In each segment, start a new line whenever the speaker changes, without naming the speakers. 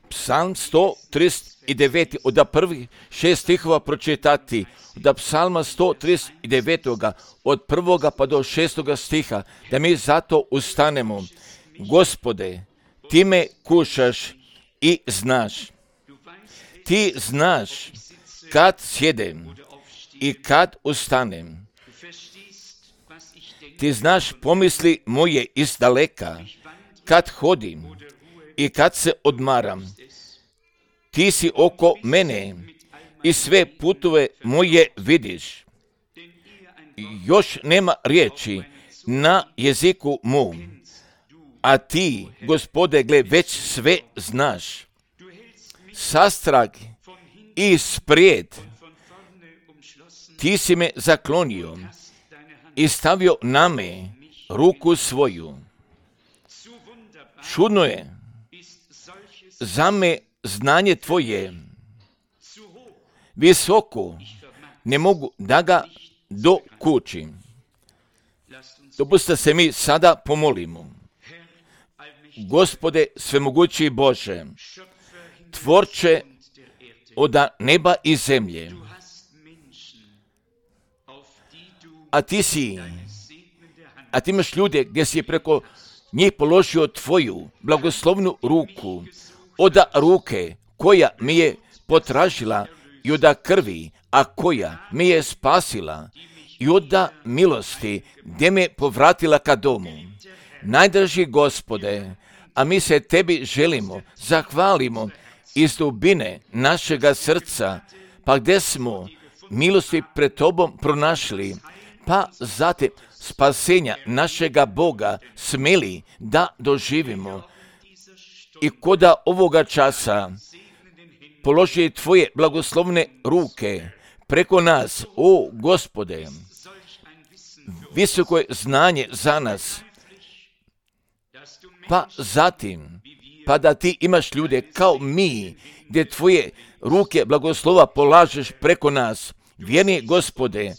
Psalm 139. od prvih 6 stihova pročitati, od psalma 139. od 1. pa do 6. stiha, da mi zato ustanemo. Gospode, ti me kušaš i znaš. Ti znaš kad sjedem i kad ustanem. Ti znaš pomisli moje izdaleka, kad hodim i kad se odmaram. Ti si oko mene i sve putove moje vidiš. Još nema riječi na jeziku mom, a ti, Gospode, gle, već sve znaš. Sastrag i sprijed ti si me zaklonio i stavio na me ruku svoju. Čudno je za me znanje tvoje, visoko, ne mogu da ga dokučim. Dopustite se mi sada pomolimo. Gospode svemogući Bože, tvorče od neba i zemlje, a ti imaš ljude gdje si preko njih položio tvoju blagoslovnu ruku, od ruke koja mi je potražila i od krvi, a koja mi je spasila, i od milosti gdje me povratila ka domu. Najdraži Gospode, a mi se tebi želimo, zahvalimo iz dubine našega srca, pa gdje smo milosti pred tobom pronašli, pa zatim spasenja našega Boga smeli da doživimo. I koda ovoga časa položi tvoje blagoslovne ruke preko nas, o Gospode, visoko je znanje za nas, pa zatim, pa da ti imaš ljude kao mi, gdje tvoje ruke blagoslova polažeš preko nas, vjerni Gospode,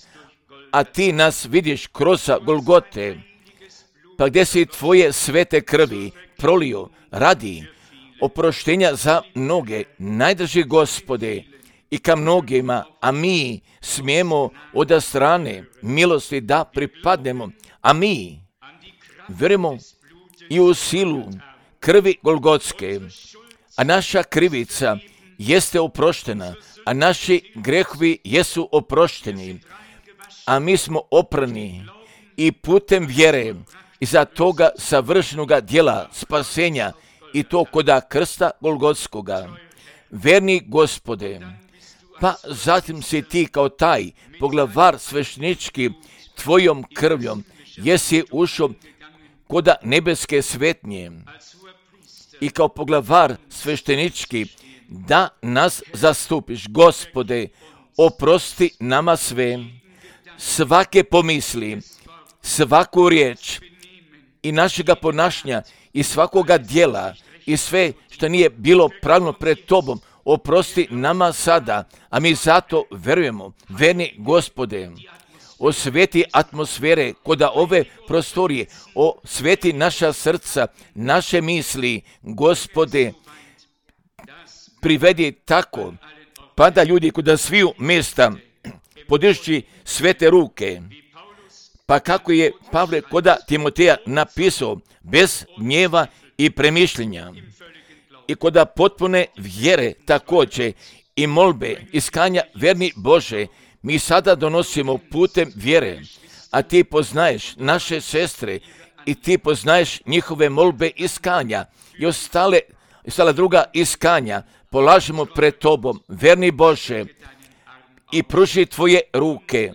a ti nas vidiš kroz Golgote, pa gdje si tvoje svete krvi prolio radi oproštenja za mnoge, najdrži Gospode, i ka mnogima, a mi smijemo od strane milosti da pripadnemo, a mi vjerujemo i u silu krvi Golgotske, a naša krivica jeste oproštena, a naši grehovi jesu oprošteni, a mi smo oprani i putem vjere iza toga savršenoga djela spasenja, i to koda krsta Golgotskoga. Verni Gospode, pa zatim si ti kao taj poglavar sveštenički tvojom krvljom jesi ušao koda nebeske svetnje i kao poglavar sveštenički da nas zastupiš. Gospode, oprosti nama sve, svake pomisli, svaku riječ i našega ponašanja i svakoga djela i sve što nije bilo pravilno pred tobom, oprosti nama sada, a mi zato verujemo. Verni Gospode, osveti atmosfere koda ove prostorije, osveti naša srca, naše misli, Gospode, privedi tako, pa da ljudi koda sviju mjesta podižući svete ruke, pa kako je Pavle koda Timoteja napisao, bez gnjeva i premišljenja, i koda potpune vjere također i molbe, iskanja, verni Bože, mi sada donosimo putem vjere, a ti poznaješ naše sestre i ti poznaješ njihove molbe iskanja i ostala druga iskanja, polažemo pred tobom, verni Bože, i pruži tvoje ruke,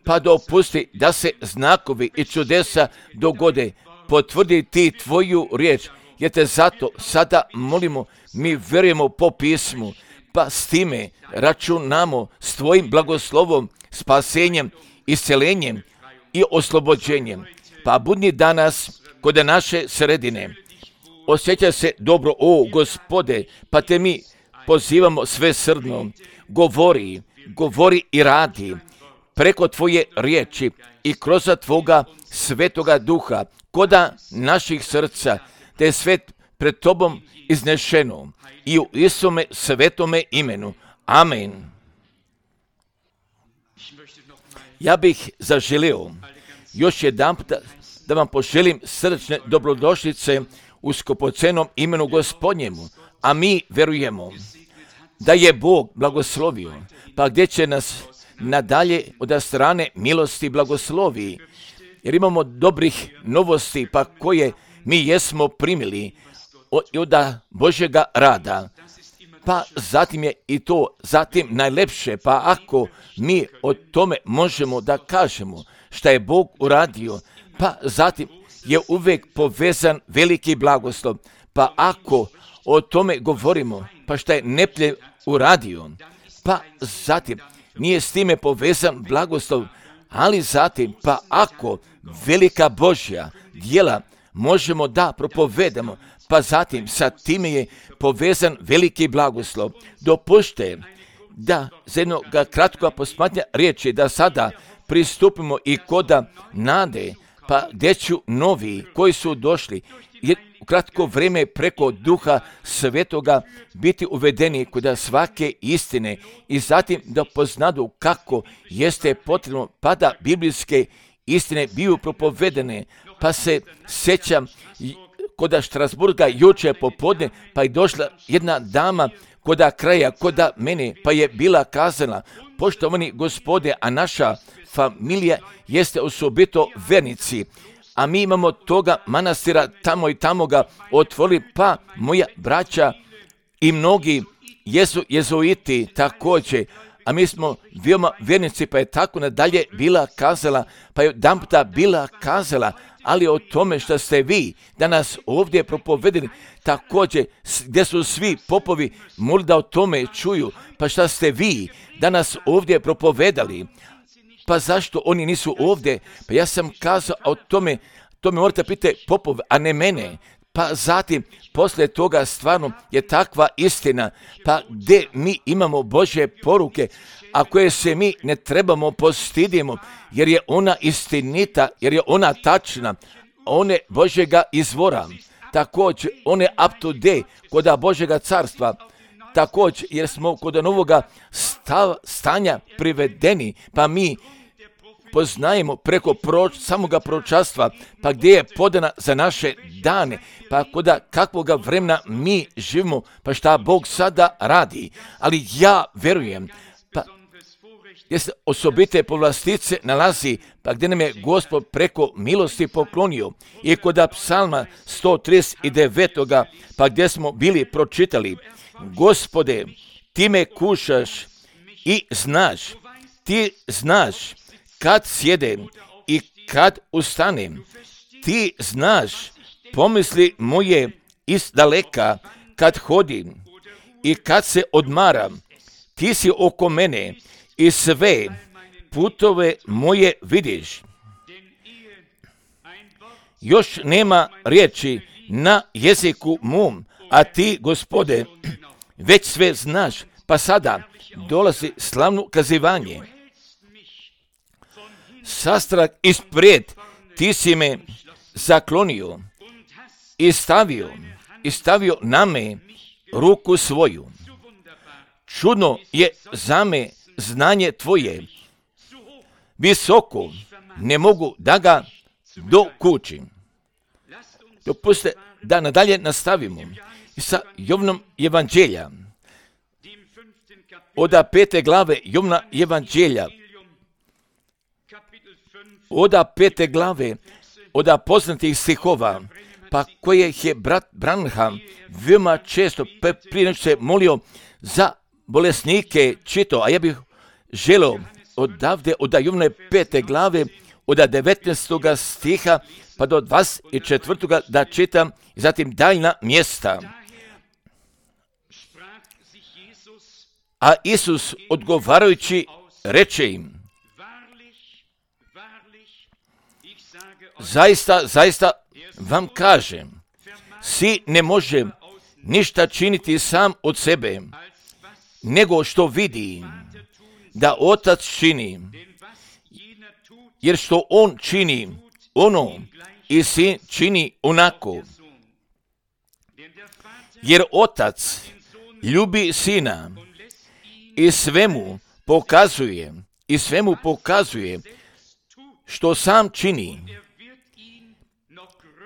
pa dopusti da se znakovi i čudesa dogode, potvrdi ti tvoju riječ, jer te zato sada molimo, mi vjerujemo po pismu, pa s time računamo s tvojim blagoslovom, spasenjem, iscelenjem i oslobođenjem. Pa budni danas kod naše sredine, osjeća se dobro, o Gospode, pa te mi pozivamo svesrdno, govori i radi preko tvoje riječi i kroz tvoga svetoga duha, koda naših srca, te svet pred tobom iznešeno i u Isome svetome imenu. Amen. Ja bih zaželio još jedanput da vam poželim srdačne dobrodošlice u skupocenom imenu Gospodnjemu, a mi verujemo da je Bog blagoslovio, pa gdje će nas nadalje od strane milosti blagoslovi, jer imamo dobrih novosti, pa koje mi jesmo primili od Božjega rada. Pa zatim je i to zatim najlepše, pa ako mi o tome možemo da kažemo šta je Bog uradio, pa zatim je uvijek povezan veliki blagoslov. Pa ako o tome govorimo, pa šta je Neplje uradio, pa zatim nije s time povezan blagoslov, ali zatim, pa ako velika Božja djela možemo da propovedamo, pa zatim sa time je povezan veliki blagoslov. Dopušte da za jednog kratkog posmatranja riječi da sada pristupimo i koda nade, pa gdje ću novi koji su došli u kratko vrijeme preko Duha Svetoga biti uvedeni kod svake istine i zatim da poznadu kako jeste potrebno pa da biblijske istine biju propovedene. Pa se sjećam kod Štrasburga juče popodne, pa je došla jedna dama koda kraja, koda mene, pa je bila kazala: poštovani Gospode, a naša familija jeste osobito vernici, a mi imamo toga manastira tamo i tamo ga otvorili, pa moja braća i mnogi jesu jezuiti također, a mi smo veoma vernici, pa je tako nadalje bila kazala, pa je odjedanputa bila kazala, ali o tome što ste vi danas ovdje propovedeni, također gdje su svi popovi mogli da o tome čuju, pa šta ste vi danas ovdje propovedali, pa zašto oni nisu ovdje? Pa ja sam kazao o tome morate pitati popove, a ne mene. Pa zatim, poslije toga stvarno je takva istina, pa gdje mi imamo Božje poruke, a koje se mi ne trebamo postidimo, jer je ona istinita, jer je ona tačna, one Božjega izvora, također one up to date kod Božjega carstva, također jer smo kod novoga stanja privedeni, pa mi poznajemo preko samoga proročanstva, pa gdje je podana za naše dane, pa kod kakvoga vremena mi živimo, pa šta Bog sada radi. Ali ja verujem, pa gdje se osobite povlastice nalazi, pa gdje nam je Gospod preko milosti poklonio, i kod psalma 139. pa gdje smo bili pročitali: Gospode, ti me kušaš i znaš, ti znaš kad sjedem i kad ustanem, ti znaš pomisli moje iz daleka, kad hodim i kad se odmaram, ti si oko mene i sve putove moje vidiš. Još nema riječi na jeziku mom, a ti, Gospode, već sve znaš, pa sada dolazi slavno kazivanje. Sastrah ispred, ti si me zaklonio i stavio na me ruku svoju. Čudno je za me znanje tvoje, visoko, ne mogu da ga dokučim. Dopustite da nadalje nastavimo sa Jovnom evanđelja. Od 5. glave Jovna evanđelja, od 5. glave, od poznatih stihova, pa koje je brat Branham veoma često prije nego se molio za bolesnike čitao, a ja bih želio odavde od Jovne 5. glave, od 19. stiha pa do 24. da čitam i zatim daljna mjesta. A Isus odgovarajući reče im: zaista vam kažem, si ne može ništa činiti sam od sebe, nego što vidi da Otac čini, jer što on čini ono i Sin čini onako. jer Otac ljubi Sina i svemu pokazuje što sam čini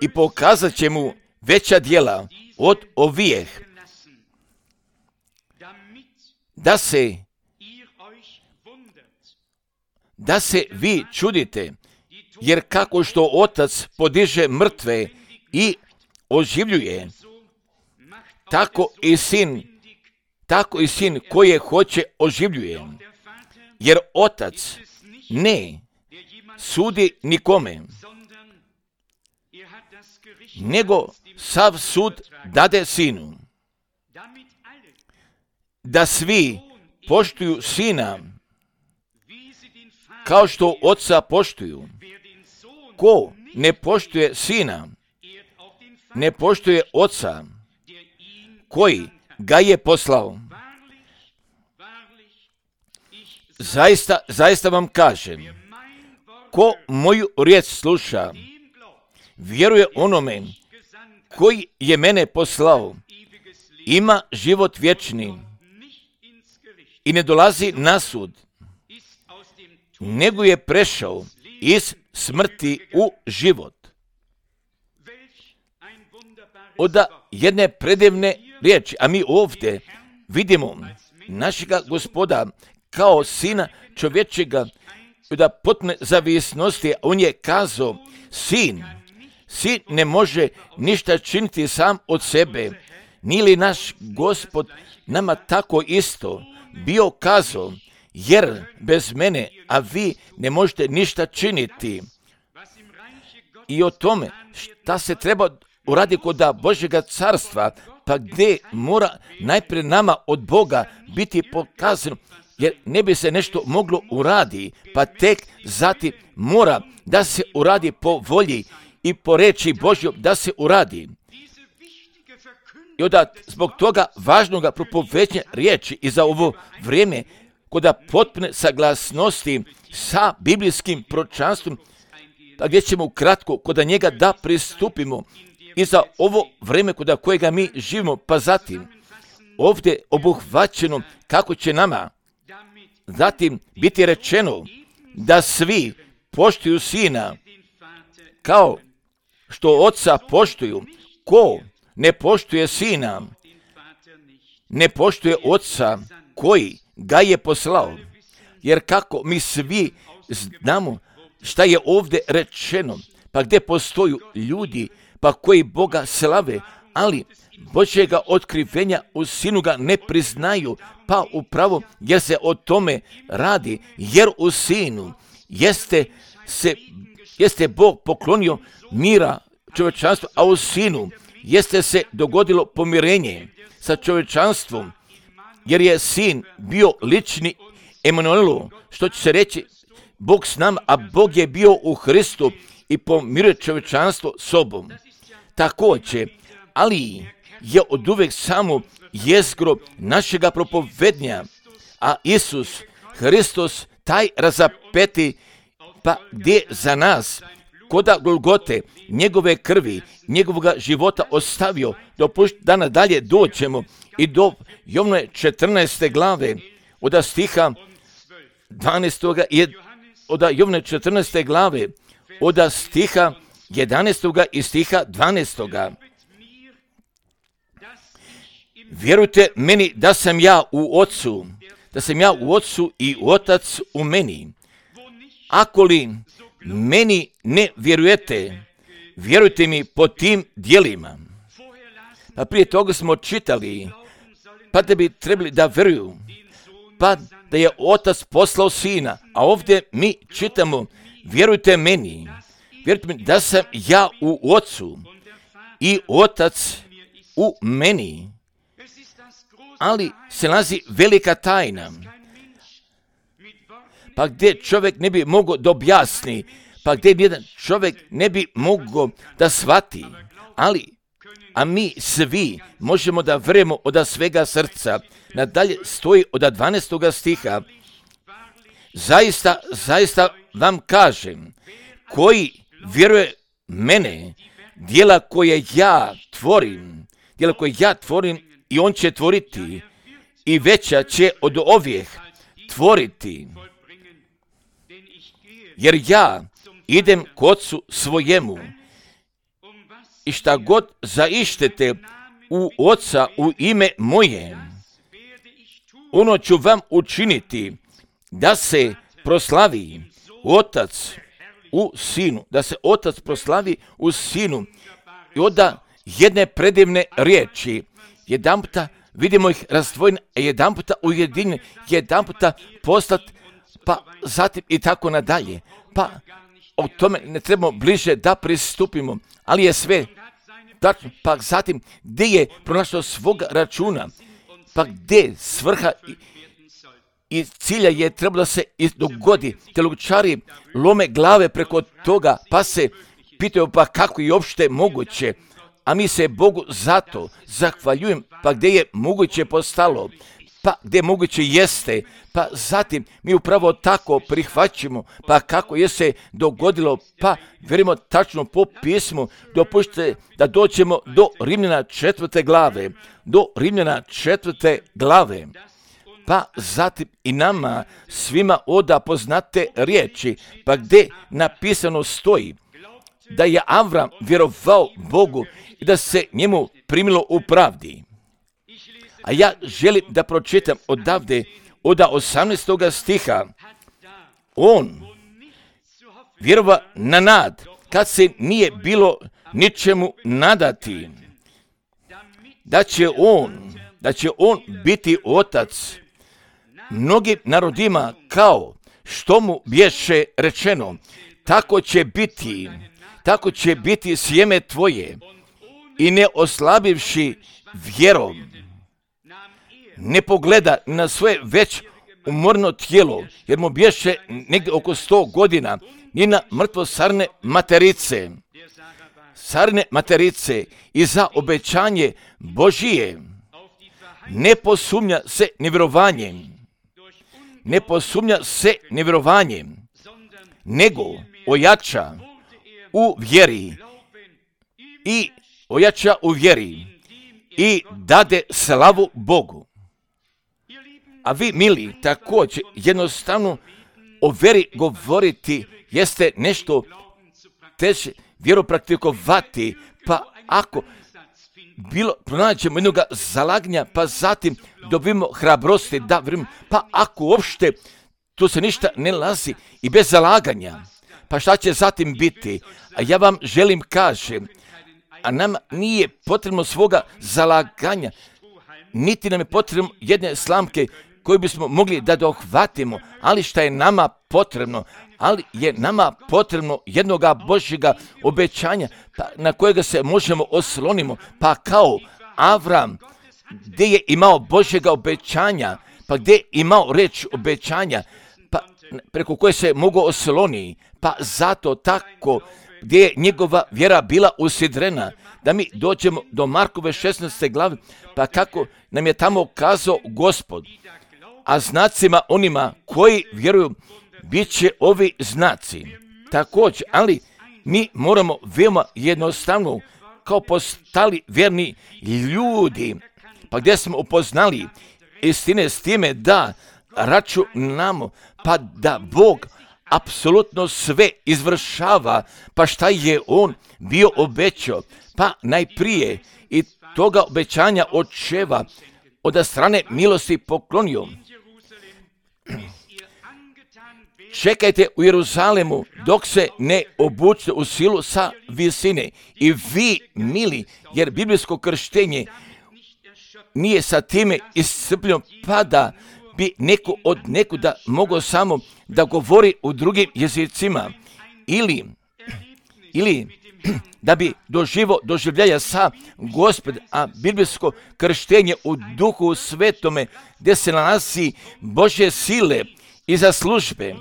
i pokazat će mu veća djela od ovijeh, da se vi čudite, jer kako što Otac podiže mrtve i oživljuje, tako i sin koje hoće oživljuje. Jer Otac ne sudi nikome, nego sav sud dade Sinu, da svi poštuju Sina kao što Oca poštuju. Ko ne poštuje Sina, ne poštuje Oca koji ga je poslao. Zaista vam kažem, ko moju riječ sluša, vjeruje onome koji je mene poslao, ima život vječni i ne dolazi na sud, nego je prešao iz smrti u život. Od jedne predivne riječi, a mi ovdje vidimo našega Gospoda kao Sina čovječega, da potpune zavisnosti, on je kazao, sin ne može ništa činiti sam od sebe. Nije li naš Gospod nama tako isto bio kazao, jer bez mene, a vi ne možete ništa činiti. I o tome šta se treba uraditi kod Božjega carstva, pa gdje mora najprije nama od Boga biti pokazano, jer ne bi se nešto moglo uraditi, pa tek zatim mora da se uradi po volji i po reči Božjoj da se uradi. I onda zbog toga važnoga propoveđenja riječi i za ovo vrijeme, kod potpune saglasnosti sa biblijskim proročanstvom, pa gdje ćemo ukratko kod njega da pristupimo i za ovo vrijeme kod kojega mi živimo, pa zatim ovdje obuhvaćeno kako će nama zatim biti rečeno da svi poštuju Sina kao što Oca poštuju. Ko ne poštuje Sina, ne poštuje Oca koji ga je poslao. Jer kako mi svi znamo šta je ovdje rečeno, pa gdje postoju ljudi pa koji Boga slave, ali Božjega otkrivenja u Sinu ga ne priznaju, pa upravo jer se o tome radi, jer u Sinu jeste Bog poklonio mira čovječanstvu, a u Sinu jeste se dogodilo pomirenje sa čovječanstvom, jer je Sin bio lični Emanuelu, što će se reći Bog s nama, a Bog je bio u Hristu i pomiruje čovječanstvo sobom. Također, ali je oduvijek samo jezgro našega propovednja, a Isus Hristos taj razapeti, pa gdje za nas koda Golgote njegove krvi, njegovoga života ostavio, da nadalje doćemo i do Jovnove 14. glave od stiha 12. od Jovnove 14. glave od stiha 11. i stiha 12. Vjerujte meni da sam ja u Otcu i Otac u meni. Ako li meni ne vjerujete, vjerujte mi po tim djelima. Pa prije toga smo čitali, pa da bi trebali da vjeruju, pa da je Otac poslao Sina, a ovdje mi čitamo, vjerujte meni da sam ja u Otcu i Otac u meni. Ali se nalazi velika tajna, pa gdje čovjek ne bi mogao da objasni, pa gdje jedan čovjek ne bi mogao da shvati, a mi svi možemo da vjerujemo od svega srca. Nadalje stoji od 12. stiha, zaista vam kažem, koji vjeruje mene, djela koje ja tvorim, jer ako ja tvorim i on će tvoriti i veća će od ovih tvoriti, jer ja idem k Otcu svojemu i šta god zaištete u Oca u ime moje, ono ću vam učiniti, da se proslavi Otac u Sinu, da se Otac proslavi u Sinu. I onda jedne predivne riječi, jedanputa vidimo ih razdvojene, jedanputa ujedinjene, jedanputa poslat, pa zatim i tako nadalje. Pa o tome ne trebamo bliže da pristupimo, ali je sve tačno. Pa zatim gdje je pronašao svoga računa, pa gdje svrha i cilja je trebalo da se dogodi. Teologičari lome glave preko toga, pa se pitaju pa kako je uopšte moguće, a mi se Bogu zato zahvaljujem, pa gdje je moguće postalo, pa gdje moguće jeste, pa zatim mi upravo tako prihvaćamo, pa kako je se dogodilo, pa vjerujemo tačno po pismu. Dopušte da dođemo do Rimljana 4. glave, do Rimljana 4. glave. Pa zatim i nama svima oda poznate riječi, pa gdje napisano stoji da je Avram vjerovao Bogu i da se njemu primilo u pravdi. A ja želim da pročitam odavde, od 18. stiha. On vjerova na nad, kad se nije bilo ničemu nadati, da će on biti otac mnogim narodima, kao što mu bješe rečeno, tako će biti sjeme tvoje, i ne oslabivši vjerom, ne pogleda na svoje već umorno tijelo, jer mu bješe negdje oko 100 godina, ni na mrtvo sarne materice, i za obećanje Božije ne posumnja se nevjerovanjem, nego ojača u vjeri i dade slavu Bogu. A vi, mili, također jednostavno o vjeri govoriti jeste nešto teže, vjeru praktikovati, pa ako pronađemo jednog zalaganja, pa zatim dobimo hrabrosti da vjerujemo, pa ako uopšte tu se ništa ne nalazi i bez zalaganja, pa šta će zatim biti? A ja vam želim kažem, a nam nije potrebno svoga zalaganja, niti nam je potrebno jedne slamke koju bismo mogli da dohvatimo, ali šta je nama potrebno? Ali je nama potrebno jednoga Božjega obećanja, pa na kojega se možemo oslonimo, pa kao Avram, gdje je imao Božjega obećanja, pa gdje je imao reč obećanja, pa preko koje se mogu osloniti, pa zato tako gdje je njegova vjera bila usidrena, da mi dođemo do Markove 16. glave, pa kako nam je tamo kazao Gospod, a znacima onima koji vjeruju bit će ovi znaci. Također, ali mi moramo veoma jednostavno, kao postali vjerni ljudi, pa gdje smo upoznali istine s time da računamo, pa da Bog apsolutno sve izvršava, pa šta je on bio obećao, pa najprije i toga obećanja očeva od strane milosti poklonio. Čekajte u Jeruzalemu dok se ne obučite u silu sa visine. I vi, mili, jer biblijsko krštenje nije sa time iscrpljeno, pa da bi neko od nekuda mogao samo da govori u drugim jezicima ili da bi doživljaja sa Gospod, a biblijsko krštenje u Duhu Svetome, gdje se nalazi Božje sile i za službe.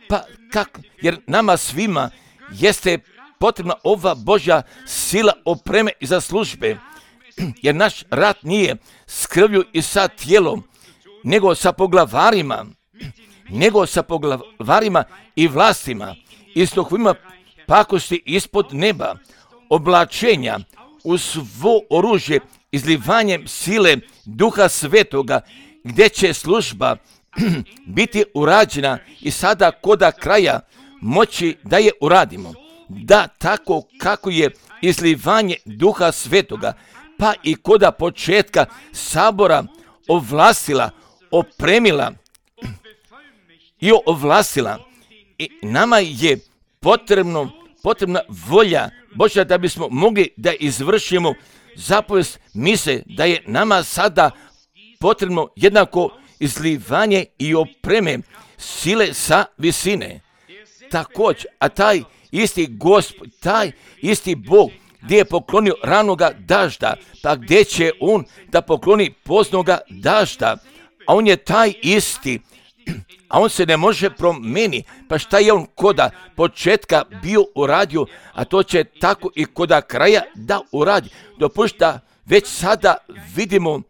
Pa kako? Jer nama svima jeste potrebna ova Božja sila opreme i za službe. Jer naš rat nije s krvlju i sa tijelom, nego sa poglavarima i vlastima i s duhovima pakosti ispod neba, oblačenja u svo oružje izlivanjem sile Duha Svetoga, gdje će služba biti urađena i sada koda kraja moći da je uradimo. Da tako kako je izlivanje Duha Svetoga, pa i koda početka sabora ovlastila, opremila i ovlastila. I nama je potrebna volja Božja da bismo mogli da izvršimo zapovest mise, da je nama sada potrebno jednako izlivanje i opreme sile sa visine. Također, a taj isti Gospod, taj isti Bog gdje je poklonio ranoga dažda, pa gdje će on da pokloni poznoga dažda, a on je taj isti, a on se ne može promijeniti, pa šta je on koda početka bio uradio, a to će tako i koda kraja da uradi. Dopušta već sada vidimo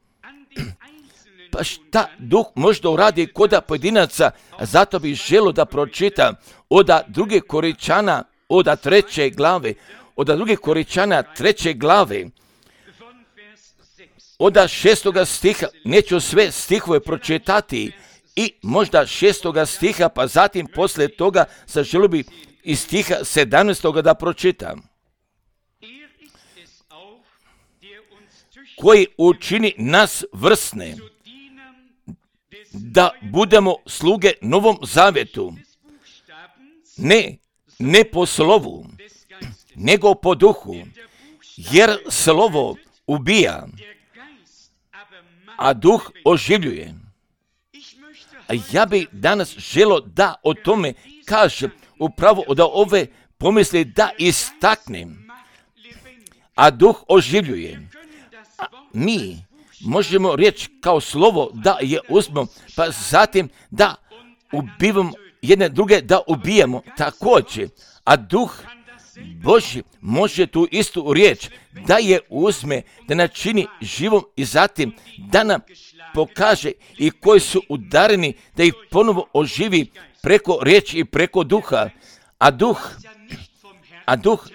pa šta Duh možda uradi koda pojedinaca, a zato bih želio da pročitam od 2. Korinčana, od 3. glave, od 2. Korinčana 3. glave, od 6. stiha, neću sve stihove pročitati, i možda 6. stiha, pa zatim poslije toga želio bih iz stiha 17. da pročitam. Koji učini nas vrsne, da budemo sluge Novom Zavjetu, ne po slovu, nego po duhu, jer slovo ubija, a duh oživljuje. A ja bih danas želio da o tome kažem, upravo od ove pomisli da istaknem, a duh oživljuje. A mi možemo reći kao slovo da je uzmemo, pa zatim da ubivamo jedne druge, da ubijamo također, a duh Božji može tu istu riječ da je uzme, da načini živom i zatim da nam pokaže i koji su udareni, da ih ponovo oživi preko riječi i preko duha. A duh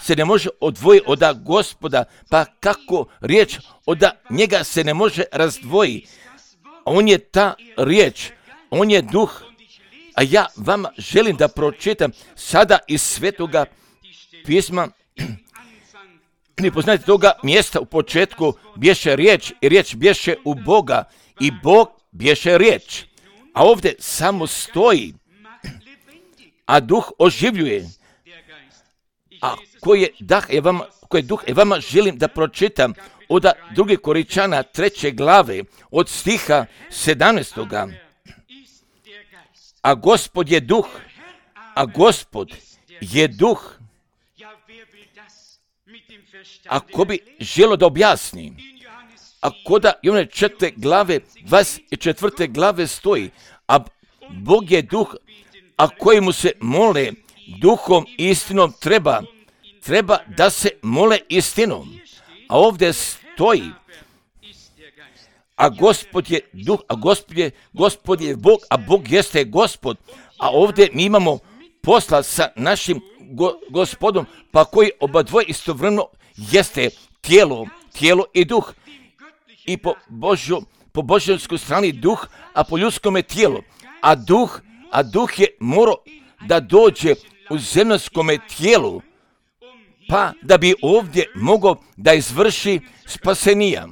se ne može odvojiti od Gospoda, pa kako riječ od njega se ne može razdvojiti. On je ta riječ, on je duh. A ja vam želim da pročitam sada iz Svetoga pisma. Vi poznate toga mjesta u početku bješe riječ i riječ bješe u Boga i Bog bješe riječ. A ovdje samo stoji, a duh oživljuje. A koji duh je vama želim da pročitam od 2. Korinčana 3. glave od stiha 17. A Gospod je duh, a Gospod je duh. Ako bi želo da objasni, ako da i one 4. glave, 24. glave stoji, a Bog je duh, a kojemu se mole duhom i istinom treba da se mole istinom. A ovdje stoji, a Gospod je duh, a Gospod je Bog, a Bog jeste Gospod. A ovdje mi imamo posla sa našim Gospodom, pa koji obadvoje istovremeno jeste tijelo i duh. I po božanskoj strani duh, a po ljudskome tijelo. A duh je morao da dođe u zemljskome tijelu, pa da bi ovdje mogao da izvrši spasenija.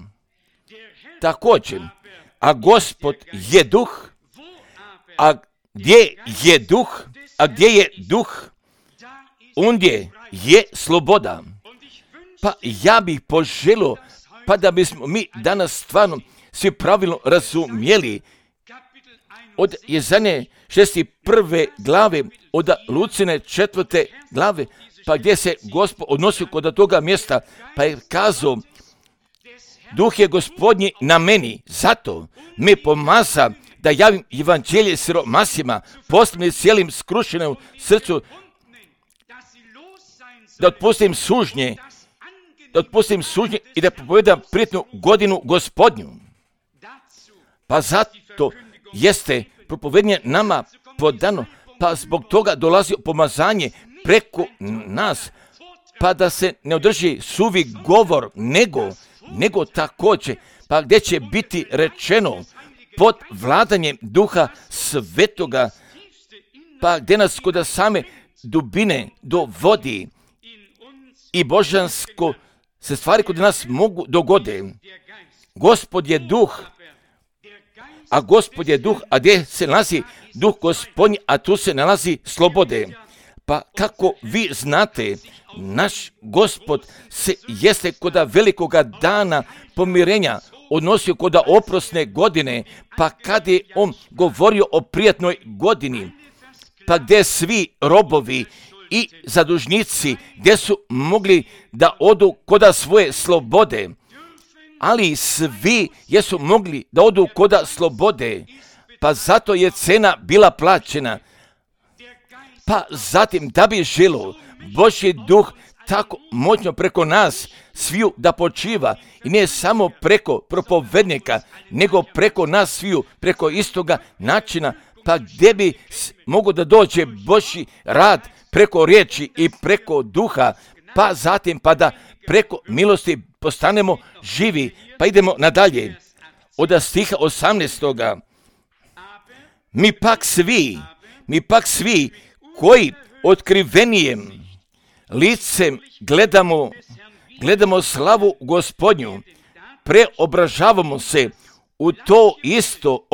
Također, a Gospod je duh, a gdje je duh, ondje je sloboda. Pa ja bih poželio, pa da bismo mi danas stvarno svi pravilno razumjeli od Jezanje 61. glave, od Lucine 4. glave, pa gdje se Gospod odnosio kod toga mjesta, pa je kazao, duh je Gospodnji na meni, zato me pomaza da javim evanđelje siromasima, posebno cijelim skrušenom srcu, da otpustim sužnje i da propovedam prijetnu godinu Gospodnju. Pa zato jeste propovedanje nama podano, pa zbog toga dolazi pomazanje preko nas, pa da se ne održi suvi govor, nego nego također, pa gdje će biti rečeno pod vladanjem Duha Svetoga, pa gdje nas kod same dubine dovodi i božansko se stvari kod nas mogu dogode. Gospod je duh, a gdje se nalazi duh Gospodnji, a tu se nalazi slobode. Pa kako vi znate, naš Gospod se jeste koda velikoga dana pomirenja odnosio koda oprosne godine, pa kad je on govorio o prijatnoj godini, pa gdje svi robovi i zadužnici, gdje su mogli da odu koda svoje slobode, ali svi jesu mogli da odu koda slobode, pa zato je cena bila plaćena. Pa zatim da bi želo Božji duh tako moćno preko nas sviju da počiva i ne samo preko propovednika, nego preko nas sviju, preko istoga načina, pa gdje bi mogo da dođe Božji rad preko riječi i preko duha, pa zatim pa da preko milosti postanemo živi. Pa idemo nadalje. Od stiha 18. Mi pak svi koji otkrivenijem licem gledamo slavu Gospodnju, preobražavamo se u to isto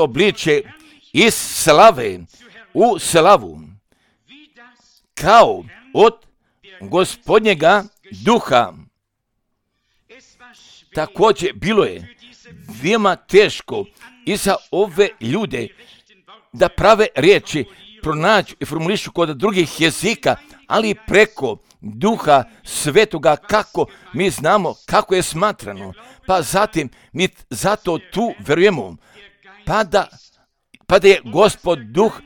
obličje iz slave u slavu, kao od Gospodnjega duha. Također bilo je veoma teško i za ove ljude da prave riječi pronađu i formulišu kod drugih jezika, ali preko Duha Svetoga, kako mi znamo kako je smatrano. Pa zatim mi zato tu verujemo, pa da je Gospod duh,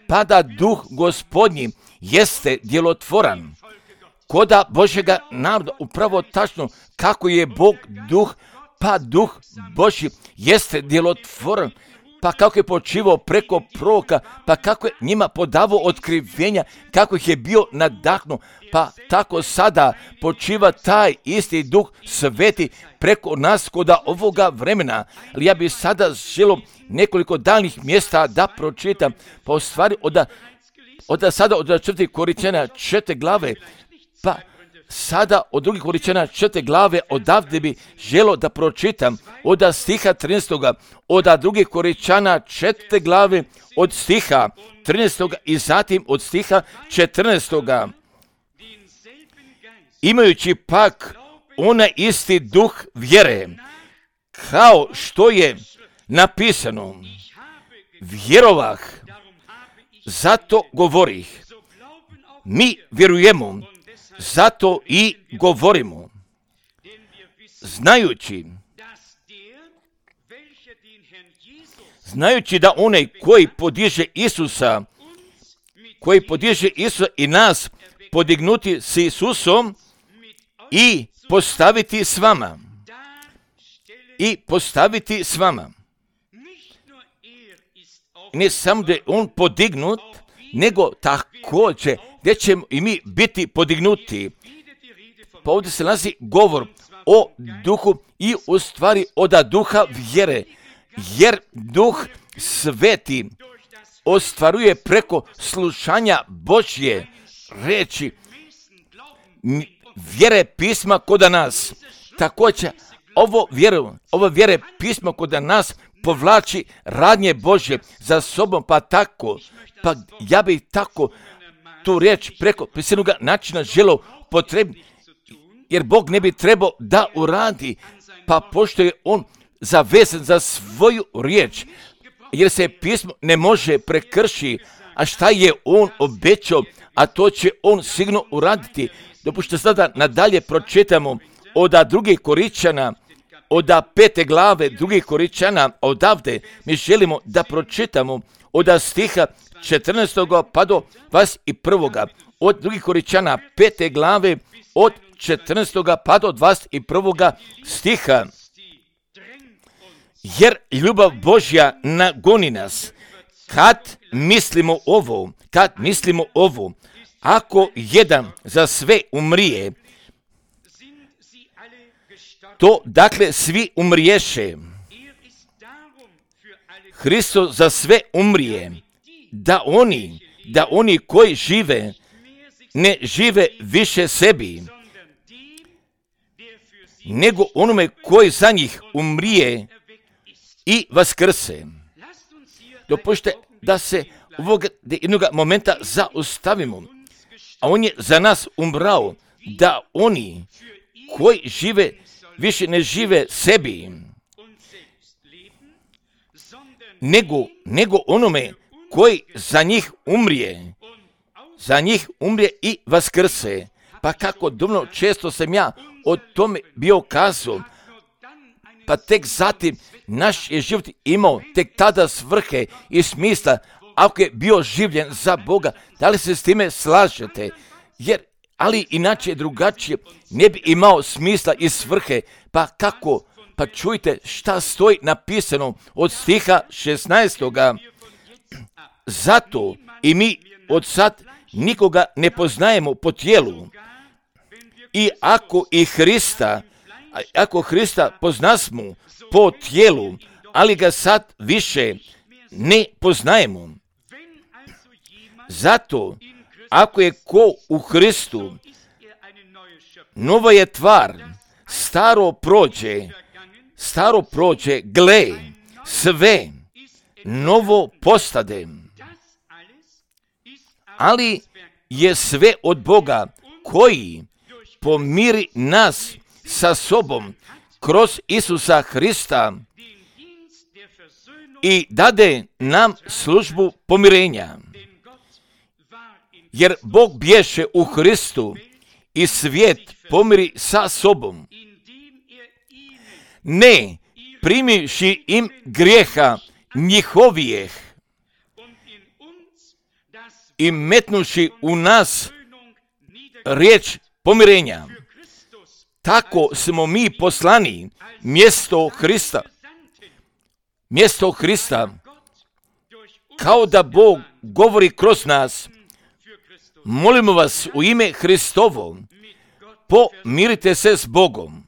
pa da duh Gospodnji jeste djelotvoran koda Božjega naroda, upravo tačno kako je Bog duh, pa duh Božji jeste djelotvoran, pa kako je počivao preko proroka, pa kako je njima podavao otkrivenja, kako ih je bio nadahnuo, pa tako sada počiva taj isti Duh Sveti preko nas koda ovoga vremena. Ali ja bih sada želio nekoliko daljnjih mjesta da pročitam, pa u stvari od 4. Korinćana 4. glave, pa sada od 2. Korinćana 4. glave odavde bi želo da pročitam od stiha 13. od 2. Korinćana 4. glave od stiha 13. i zatim od stiha 14. Imajući pak onaj isti duh vjere, kao što je napisano, vjerovah, zato govorih. Mi vjerujemo, zato i govorimo, znajući da onaj koji podiže Isusa i nas podignuti s Isusom i postaviti s vama. Ne samo da je on podignut, nego također gdje ćemo i mi biti podignuti. Pa ovdje se nalazi govor o duhu i u stvari od duha vjere, jer Duh Sveti ostvaruje preko slušanja Božje reči, vjere pisma kod nas. Također ovo vjere pisma kod nas povlači radnje Božje za sobom, pa ja bih tako tu riječ preko prisilnog načina želio potrebiti, jer Bog ne bi trebao da uradi, pa pošto je on zavezan za svoju riječ, jer se pismo ne može prekršiti, a šta je on obećao, a to će on sigurno uraditi. Dopustite sada nadalje pročitamo od 2. Korinćana, od 5. glave 2. Korinćana, odavde mi želimo da pročitamo od stiha 14. pa do 21. Od 2. Korinćana 5. glave od 14. pa do 21. stiha. Jer ljubav Božja nagoni nas, kad mislimo ovo, ako jedan za sve umrije, To dakle svi umriješe. Hristos za sve umrije, da oni koji žive, ne žive više sebi, nego onome koji za njih umrije i vaskrse. Dopustite da se ovog jednog momenta zaustavimo, a on je za nas umrao, da oni koji žive više ne žive sebi, nego onome koji za njih umrije i vaskrse. Pa kako dumno često sam ja o tome bio kazao, pa tek zatim naš je život imao tek tada svrhe i smisla, ako je bio življen za Boga. Da li se s time slažete? Ali inače drugačije ne bi imao smisla i svrhe. Pa kako? Pa čujte šta stoji napisano od stiha 16. Zato i mi od sad nikoga ne poznajemo po tijelu. I ako Hrista poznasmo po tijelu, ali ga sad više ne poznajemo. Zato, ako je ko u Hristu, nova je tvar, staro prođe, gle, sve novo postade. Ali je sve od Boga koji pomiri nas sa sobom kroz Isusa Hrista i dade nam službu pomirenja. Jer Bog bješe u Hristu i svijet pomiri sa sobom, ne primivši im grijeha njihovijeh i metnuši u nas riječ pomirenja. Tako smo mi poslani mjesto Hrista, kao da Bog govori kroz nas. Molimo vas u ime Hristovo, pomirite se s Bogom.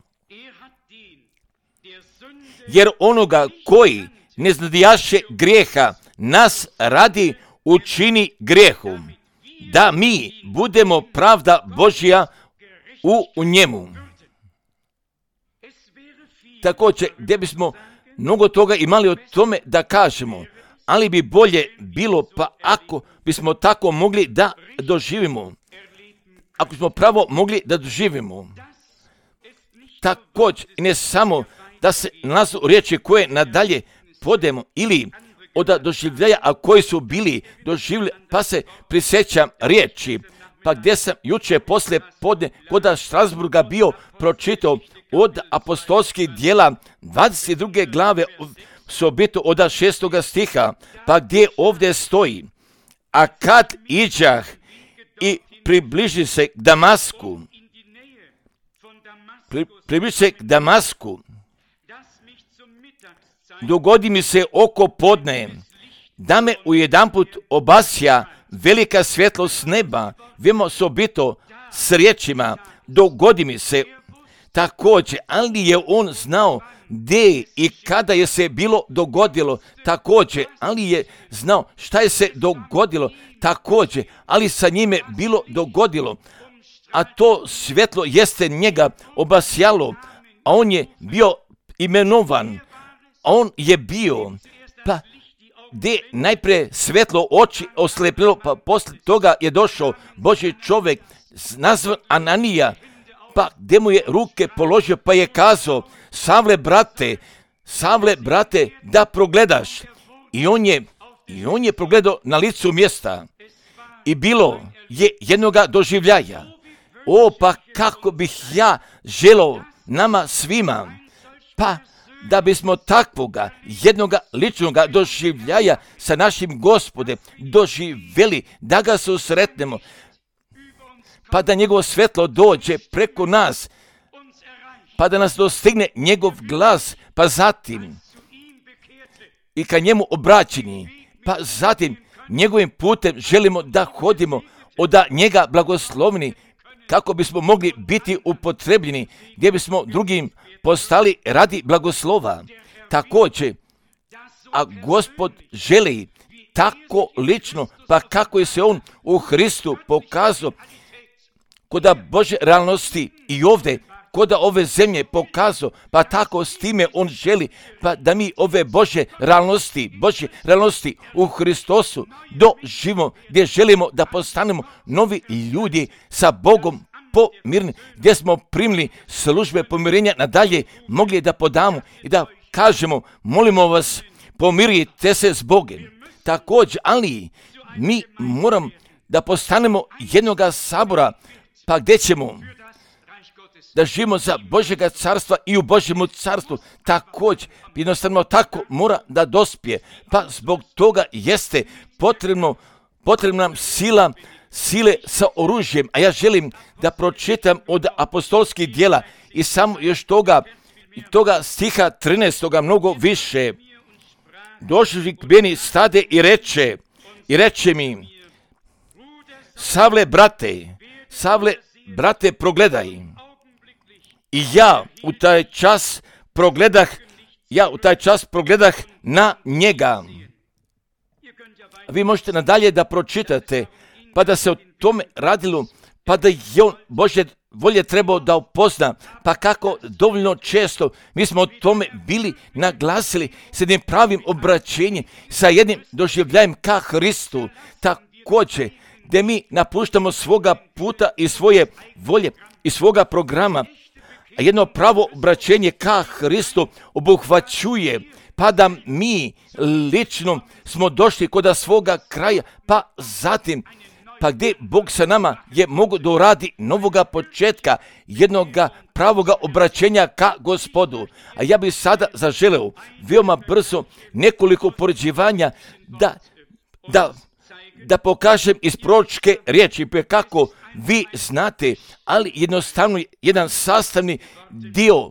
Jer onoga koji ne znadijaše grijeha nas radi učini grijehom, da mi budemo pravda Božja u njemu. Također, gdje bismo mnogo toga imali o tome da kažemo, ali bi bolje bilo pa ako bismo tako mogli da doživimo. Ako smo pravo mogli da doživimo. Također, ne samo da se nalazu riječi koje nadalje podemo ili od doživljaja, a koji su bili doživljeni, pa se prisjećam riječi. Pa gdje sam jučer poslije podne kod Strasburga bio pročitao od apostolskih djela 22. glave sobito od 6. stiha, pa gdje ovdje stoji: a kad iđah i približi se k Damasku, dogodi mi se oko podne, da me ujedanput obasja velika svjetlost neba, vemo sobito s riječima, dogodi mi se. Također, ali je on znao gdje i kada je se bilo dogodilo, također, ali je znao šta je se dogodilo, također, ali sa njime bilo dogodilo, a to svjetlo jeste njega obasjalo, a on je bio imenovan, a on je bio, pa gdje najprije svjetlo oči oslepilo, pa poslije toga je došao Božji čovjek nazvan Ananija, pa gdje mu je ruke položio, pa je kazao: Savle brate, da progledaš. I on je progledao na licu mjesta. I bilo je jednoga doživljaja. Pa kako bih ja želio nama svima, pa da bismo takvoga jednoga ličnoga doživljaja sa našim Gospodem doživjeli, da ga susretnemo, pa da njegovo svjetlo dođe preko nas, pa da nas dostigne njegov glas, pa zatim i ka njemu obraćeni, pa zatim njegovim putem želimo da hodimo, od njega blagoslovni, kako bismo mogli biti upotrebljeni, gdje bismo drugim postali radi blagoslova. Također, a Gospod želi tako lično, pa kako je se on u Hristu pokazao koda Bože realnosti i ovdje, koda ove zemlje pokazao, pa tako s time on želi, pa da mi ove Bože realnosti u Hristosu doživimo, gdje želimo da postanemo novi ljudi sa Bogom pomirni, gdje smo primili službe pomirenja nadalje, mogli da podamo i da kažemo, molimo vas, pomirite se s Bogom. Također, ali mi moramo da postanemo jednoga sabora, pa gdje ćemo da živimo za Božjega carstva i u Božjemu carstvu. Također, jednostavno tako mora da dospije. Pa zbog toga jeste potrebna nam sile sa oružjem. A ja želim da pročitam od apostolskih djela i samo još toga stiha 13. mnogo više. Došli k meni stade i reče mi, Savle, brate, progledaj. I ja u taj čas progledah na njega. Vi možete nadalje da pročitate, pa da se o tome radilo, pa da je on Božje volje trebao da upozna, pa kako dovoljno često mi smo o tome bili naglasili s jednim pravim obraćenjem, sa jednim doživljajem ka Hristu. Također, gdje mi napuštamo svoga puta i svoje volje i svoga programa, a jedno pravo obraćenje ka Hristu obuhvaćuje, pa da mi lično smo došli kod svoga kraja, pa zatim, pa gdje Bog sa nama je mogu da uradi novoga početka, jednoga pravoga obraćenja ka Gospodu. A ja bih sada zaželeo veoma brzo nekoliko poređivanja da pokažem iz proročke riječi, kako vi znate, ali jednostavno jedan sastavni dio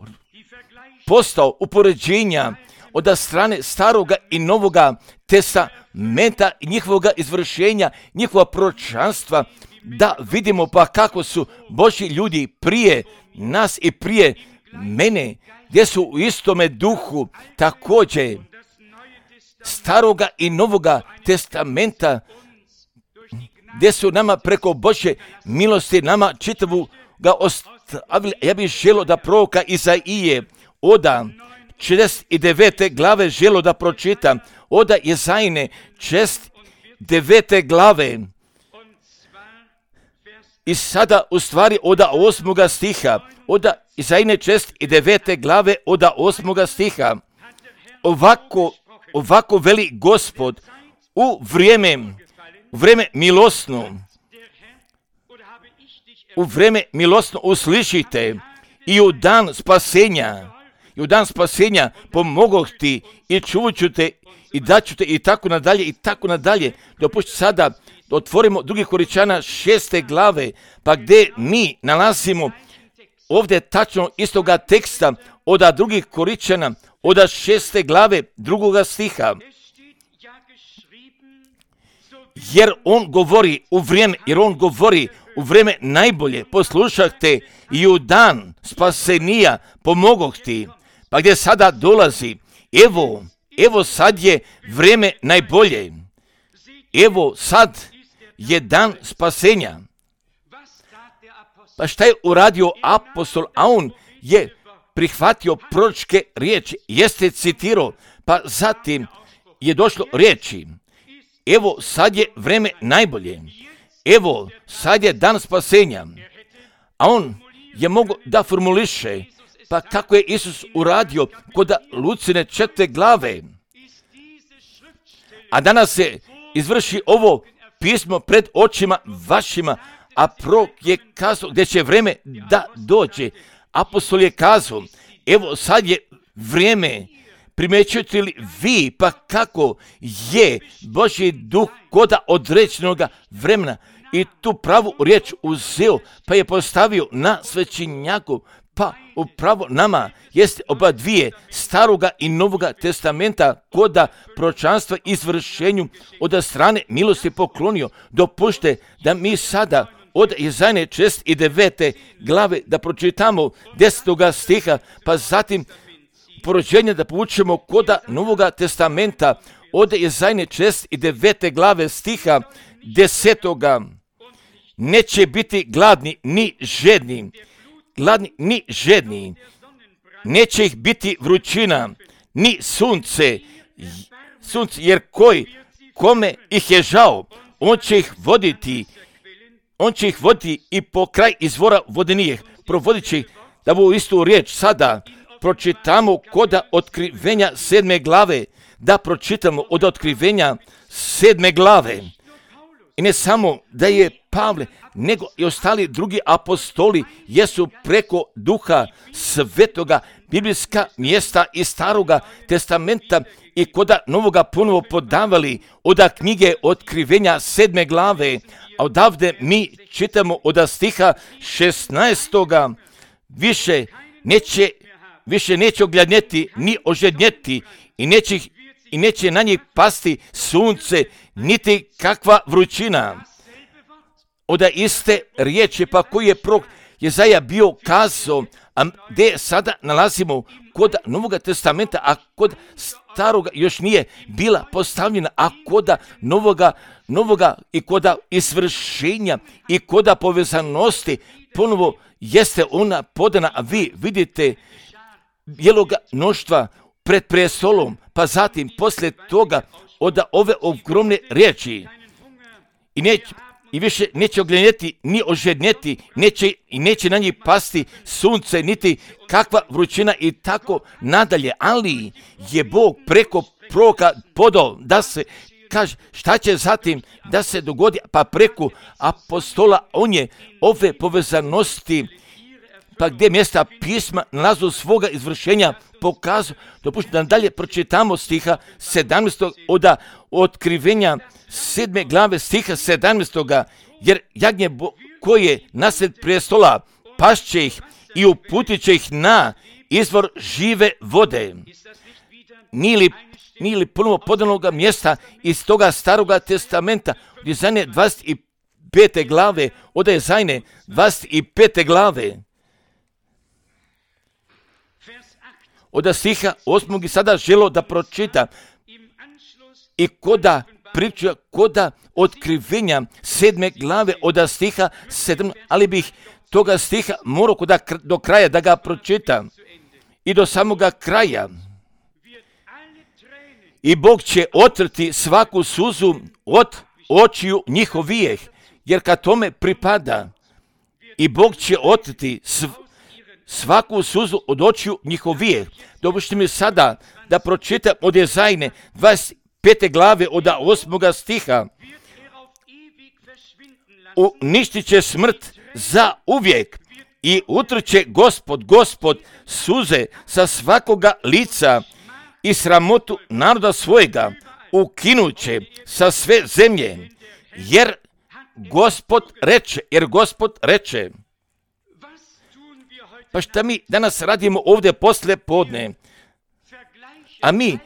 postao upoređenja od strane staroga i novoga testamenta i njihovoga izvršenja, njihova proročanstva, da vidimo pa kako su Božji ljudi prije nas i prije mene, gdje su u istome duhu također staroga i novoga testamenta, gdje su nama preko Božje milosti nama čitavu ga ostavili. Ja bih želio da proroka Izaije oda 69. glave želio da pročitam, oda Izajine 69. glave i sada u stvari oda 8. stiha, oda Izajine 69. glave oda 8. stiha. Ovako veli Gospod, u vrijeme milosno uslišite i u dan spasenja pomogoh ti i čuvat ću te i daću te i tako nadalje. Dopustite sada da otvorimo 2. Korinčana 6. glave, pa gdje mi nalazimo ovdje tačno istoga teksta od 2. Korinčana od 6. glave 2. stiha. Jer on govori u vrijeme najbolje, poslušajte, i u dan spasenija pomogoh ti. Pa gdje sada dolazi, evo sad je vrijeme najbolje, evo sad je dan spasenja. Pa šta je uradio apostol? A on je prihvatio proročke riječi, jeste citirao, pa zatim je došlo riječi, evo sad je vrijeme najbolje, evo sad je dan spasenja. A on je mogao da formuliše, pa kako je Isus uradio kod Lucine 4. glave. A danas se izvrši ovo pismo pred očima vašima, a prorok je kazao gdje će vrijeme da dođe. Apostol je kazao, evo sad je vrijeme, primjećujete li vi pa kako je Božji duh koda određenoga vremena i tu pravu riječ uzeo, pa je postavio na svećenjaku, pa upravo nama jeste oba dvije staroga i novoga testamenta koda proročanstva izvršenju od strane milosti poklonio. Dopušte da mi sada od Izaje 49. glave da pročitamo 10. stiha, pa zatim porođenje da povučemo koda Novoga testamenta od Izaje 49. glave stiha 10. Neće biti gladni ni žedni, neće ih biti vrućina, ni sunce, jer kome ih je žao, on će ih voditi i po kraj izvora vodenijih, provodit će ih. Da bu istu riječ sada pročitamo koda Otkrivenja 7. glave, da pročitamo od Otkrivenja 7. glave. I ne samo da je Pavle, nego i ostali drugi apostoli jesu preko Duha Svetoga biblijska mjesta iz Staroga testamenta i koda Novoga ponovo podavali od knjige Otkrivenja 7. glave, a odavde mi čitamo od stiha 16. Više neće ogladnjeti ni ožednjeti i neće na njih pasti sunce, niti kakva vrućina. Od iste riječi pa koji je prorok Jezaja bio kazao, a gdje sada nalazimo kod Novoga testamenta, a kod Staroga još nije bila postavljena, a kod novoga i kod izvršenja i kod povezanosti ponovo jeste ona podana, a vi vidite bijeloga mnoštva pred prestolom, pa zatim poslije toga od ove ogromne riječi i više neće oglednjeti ni ožednjeti, neće na njih pasti sunce, niti kakva vrućina i tako nadalje. Ali je Bog preko proroka podao da se kaže šta će zatim da se dogodi, pa preko apostola on je ove povezanosti, pa gdje mjesta pisma nalazu svoga izvršenja pokazao. Dopustite da dalje pročitamo stiha 17. od Otkrivenja 7. glave stiha 17. Jer jagnje koje nasred prestola pašće ih i uputit će ih na izvor žive vode. Nije li ponovo podanoga mjesta iz toga Staroga testamenta od Izaje 25. glave, od Izaje 25. glave. Od stiha 8. i sada želo da pročita i koda Otkrivenja 7. glave od stiha 7, ali bih toga stiha morao do kraja da ga pročita i do samoga kraja. I Bog će otrti svaku suzu od očiju njihovijeh, jer kad tome pripada. I Bog će otrti svaku suzu od očiju njihovijeh. Dopustite mi sada da pročitam od Izaje 25. glave od 8. stiha. Uništit će smrt za uvijek i utrće Gospod suze sa svakoga lica i sramotu naroda svojega ukinuće sa sve zemlje, jer Gospod reče. Pa šta mi danas radimo ovdje poslije podne? A mi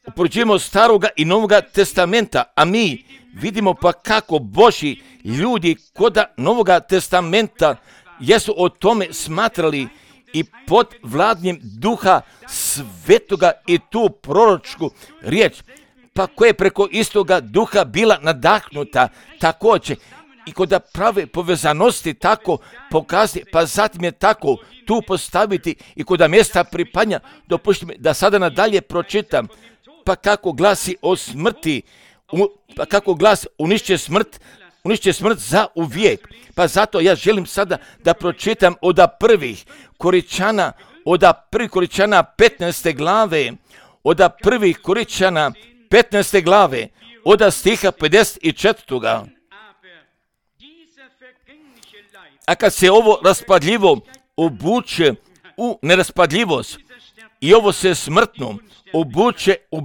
upoređujemo Staroga i Novoga testamenta, a mi vidimo pa kako Božji ljudi koda Novoga testamenta jesu o tome smatrali i pod vladnjem Duha Svetoga i tu proročku riječ, pa koja je preko istoga Duha bila nadahnuta također i kod prave povezanosti tako pokazati, pa zatim je tako tu postaviti i kod mjesta pripanja. Dopustite mi da sada nadalje pročitam, pa kako glasi o smrti, pa kako glasi unišće smrt za uvijek. Pa zato ja želim sada da pročitam od prvih Koričana 15. glave, od prvih Koričana 15. glave, od stiha 54. A kad se ovo raspadljivo obuče u neraspadljivost i ovo se smrtno obuče u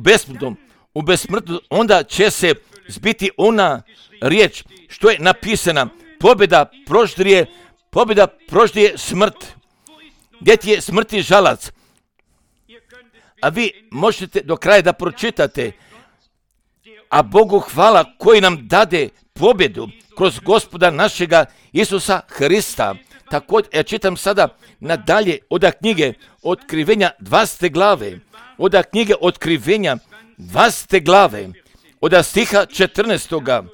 besmrtno, onda će se zbiti ona riječ što je napisana: pobjeda proždije smrt. Gdje ti je smrti žalac? A vi možete do kraja da pročitate. A Bogu hvala koji nam dade pobjedu kroz Gospoda našega Isusa Hrista. Također, ja čitam sada nadalje od knjige Otkrivenja 20. glave, od knjige Otkrivenja 20. glave, od stiha 14.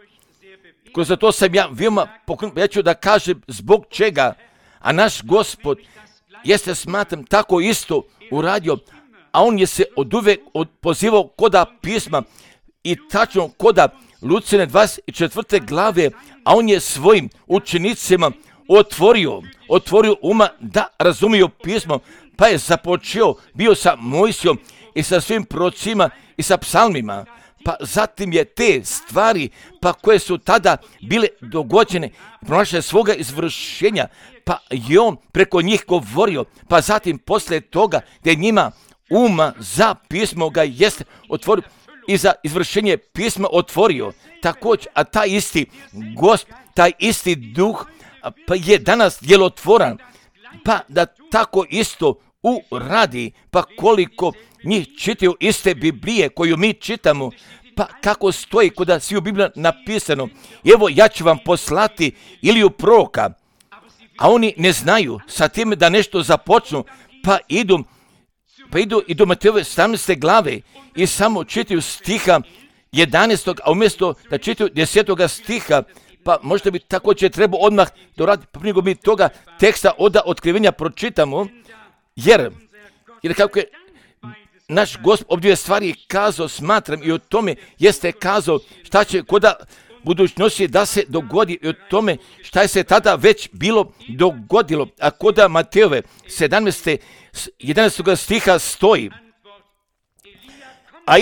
Kroz to sam ja veoma pokrenut, ja ću da kažem zbog čega, a naš Gospod jeste, smatram, tako isto uradio, a on je se oduvek pozivao koda pisma i tačno koda Lucine 24. glave, a on je svojim učenicima otvorio uma da razumiju pismo, pa je započeo bio sa Mojsijom i sa svim prorocima i sa psalmima. Pa zatim je te stvari, pa koje su tada bile dogođene, pronašle svoga izvršenja, pa je on preko njih govorio, pa zatim posle toga gdje njima uma za pismo ga jeste otvorio i za izvršenje pisma otvorio. Također, a taj isti Gospod, taj isti duh, pa je danas djelotvoran, pa da tako isto uradi, pa koliko njih čitaju iste Biblije koju mi čitamo, pa kako stoji kod svi u Bibliji napisano, evo ja ću vam poslati Iliju proroka, a oni ne znaju sa tim da nešto započnu, pa idu i do Matejove 17. glave i samo čitaju stiha 11. a umjesto da čitaju 10. stiha, pa možda bi također trebao odmah doraditi, pa nego mi toga teksta od Otkrivenja pročitamo, jer kako je naš Gospod ob dvije stvari kazao, smatram, i o tome jeste kazao šta će koda budućnosti da se dogodi, i o tome šta je se tada već bilo dogodilo, a koda Matejove 17. 11. stiha stoji. A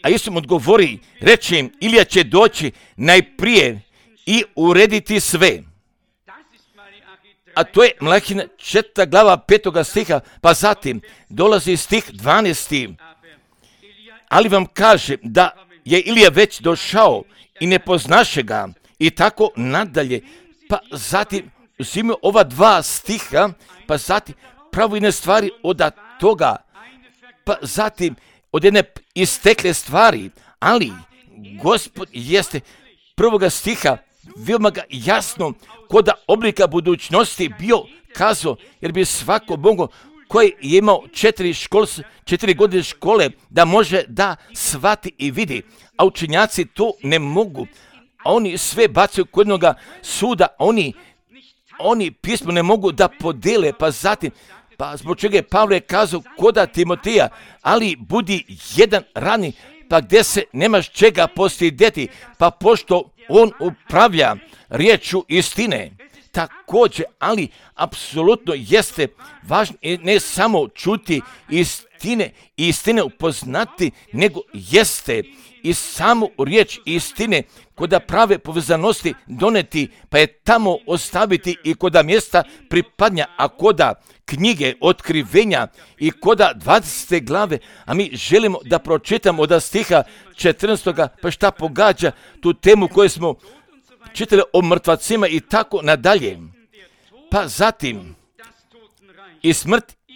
Isus mu odgovori, reče im, Ilija će doći najprije i urediti sve. A to je Malahijina 4. glava 5. stiha, pa zatim dolazi stih 12. Ali vam kaže da je Ilija već došao i ne poznaše ga i tako nadalje. Pa zatim uzimaju ova dva stiha, pa zatim pravo jedne stvari od toga, pa zatim od jedne istekle stvari, ali Gospod jeste prvoga stiha veoma ga jasno kod oblika budućnosti bio kazao, jer bi svako Bogo koji je imao 4 godine škole da može da shvati i vidi, a učenjaci to ne mogu. Oni sve bacaju kod jednoga suda, oni pismo ne mogu da podele, pa zatim, pa zbog čega je Pavle kazao koda Timotija, ali budi jedan rani, pa gdje se nemaš čega postidjeti, pa pošto on upravlja riječu istine. Također, ali apsolutno jeste važno ne samo čuti istine upoznati, nego jeste i samu riječ istine koda prave povezanosti doneti, pa je tamo ostaviti i koda mjesta pripadnja, a koda knjige Otkrivenja i koda 20. glave, a mi želimo da pročitamo od stiha 14. pa šta pogađa tu temu koju smo čitali o mrtvacima i tako nadalje. Pa zatim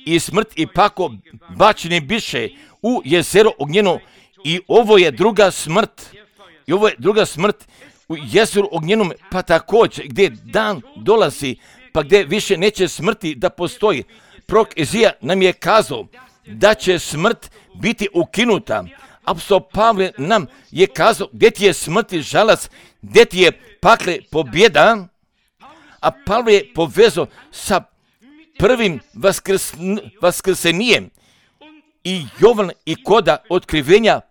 i smrt i pako bačeni biše u jezero ognjeno, i ovo je druga smrt u jezeru ognjenom, pa također gdje dan dolazi, pa gdje više neće smrti da postoji. Prorok Izija nam je kazao da će smrt biti ukinuta. Apostol Pavle nam je kazao gdje ti je smrti žalac, gdje ti je pakle pobjeda, a Pavle je povezao sa prvim vaskrsenjem. I Jovan i koda Otkrivenja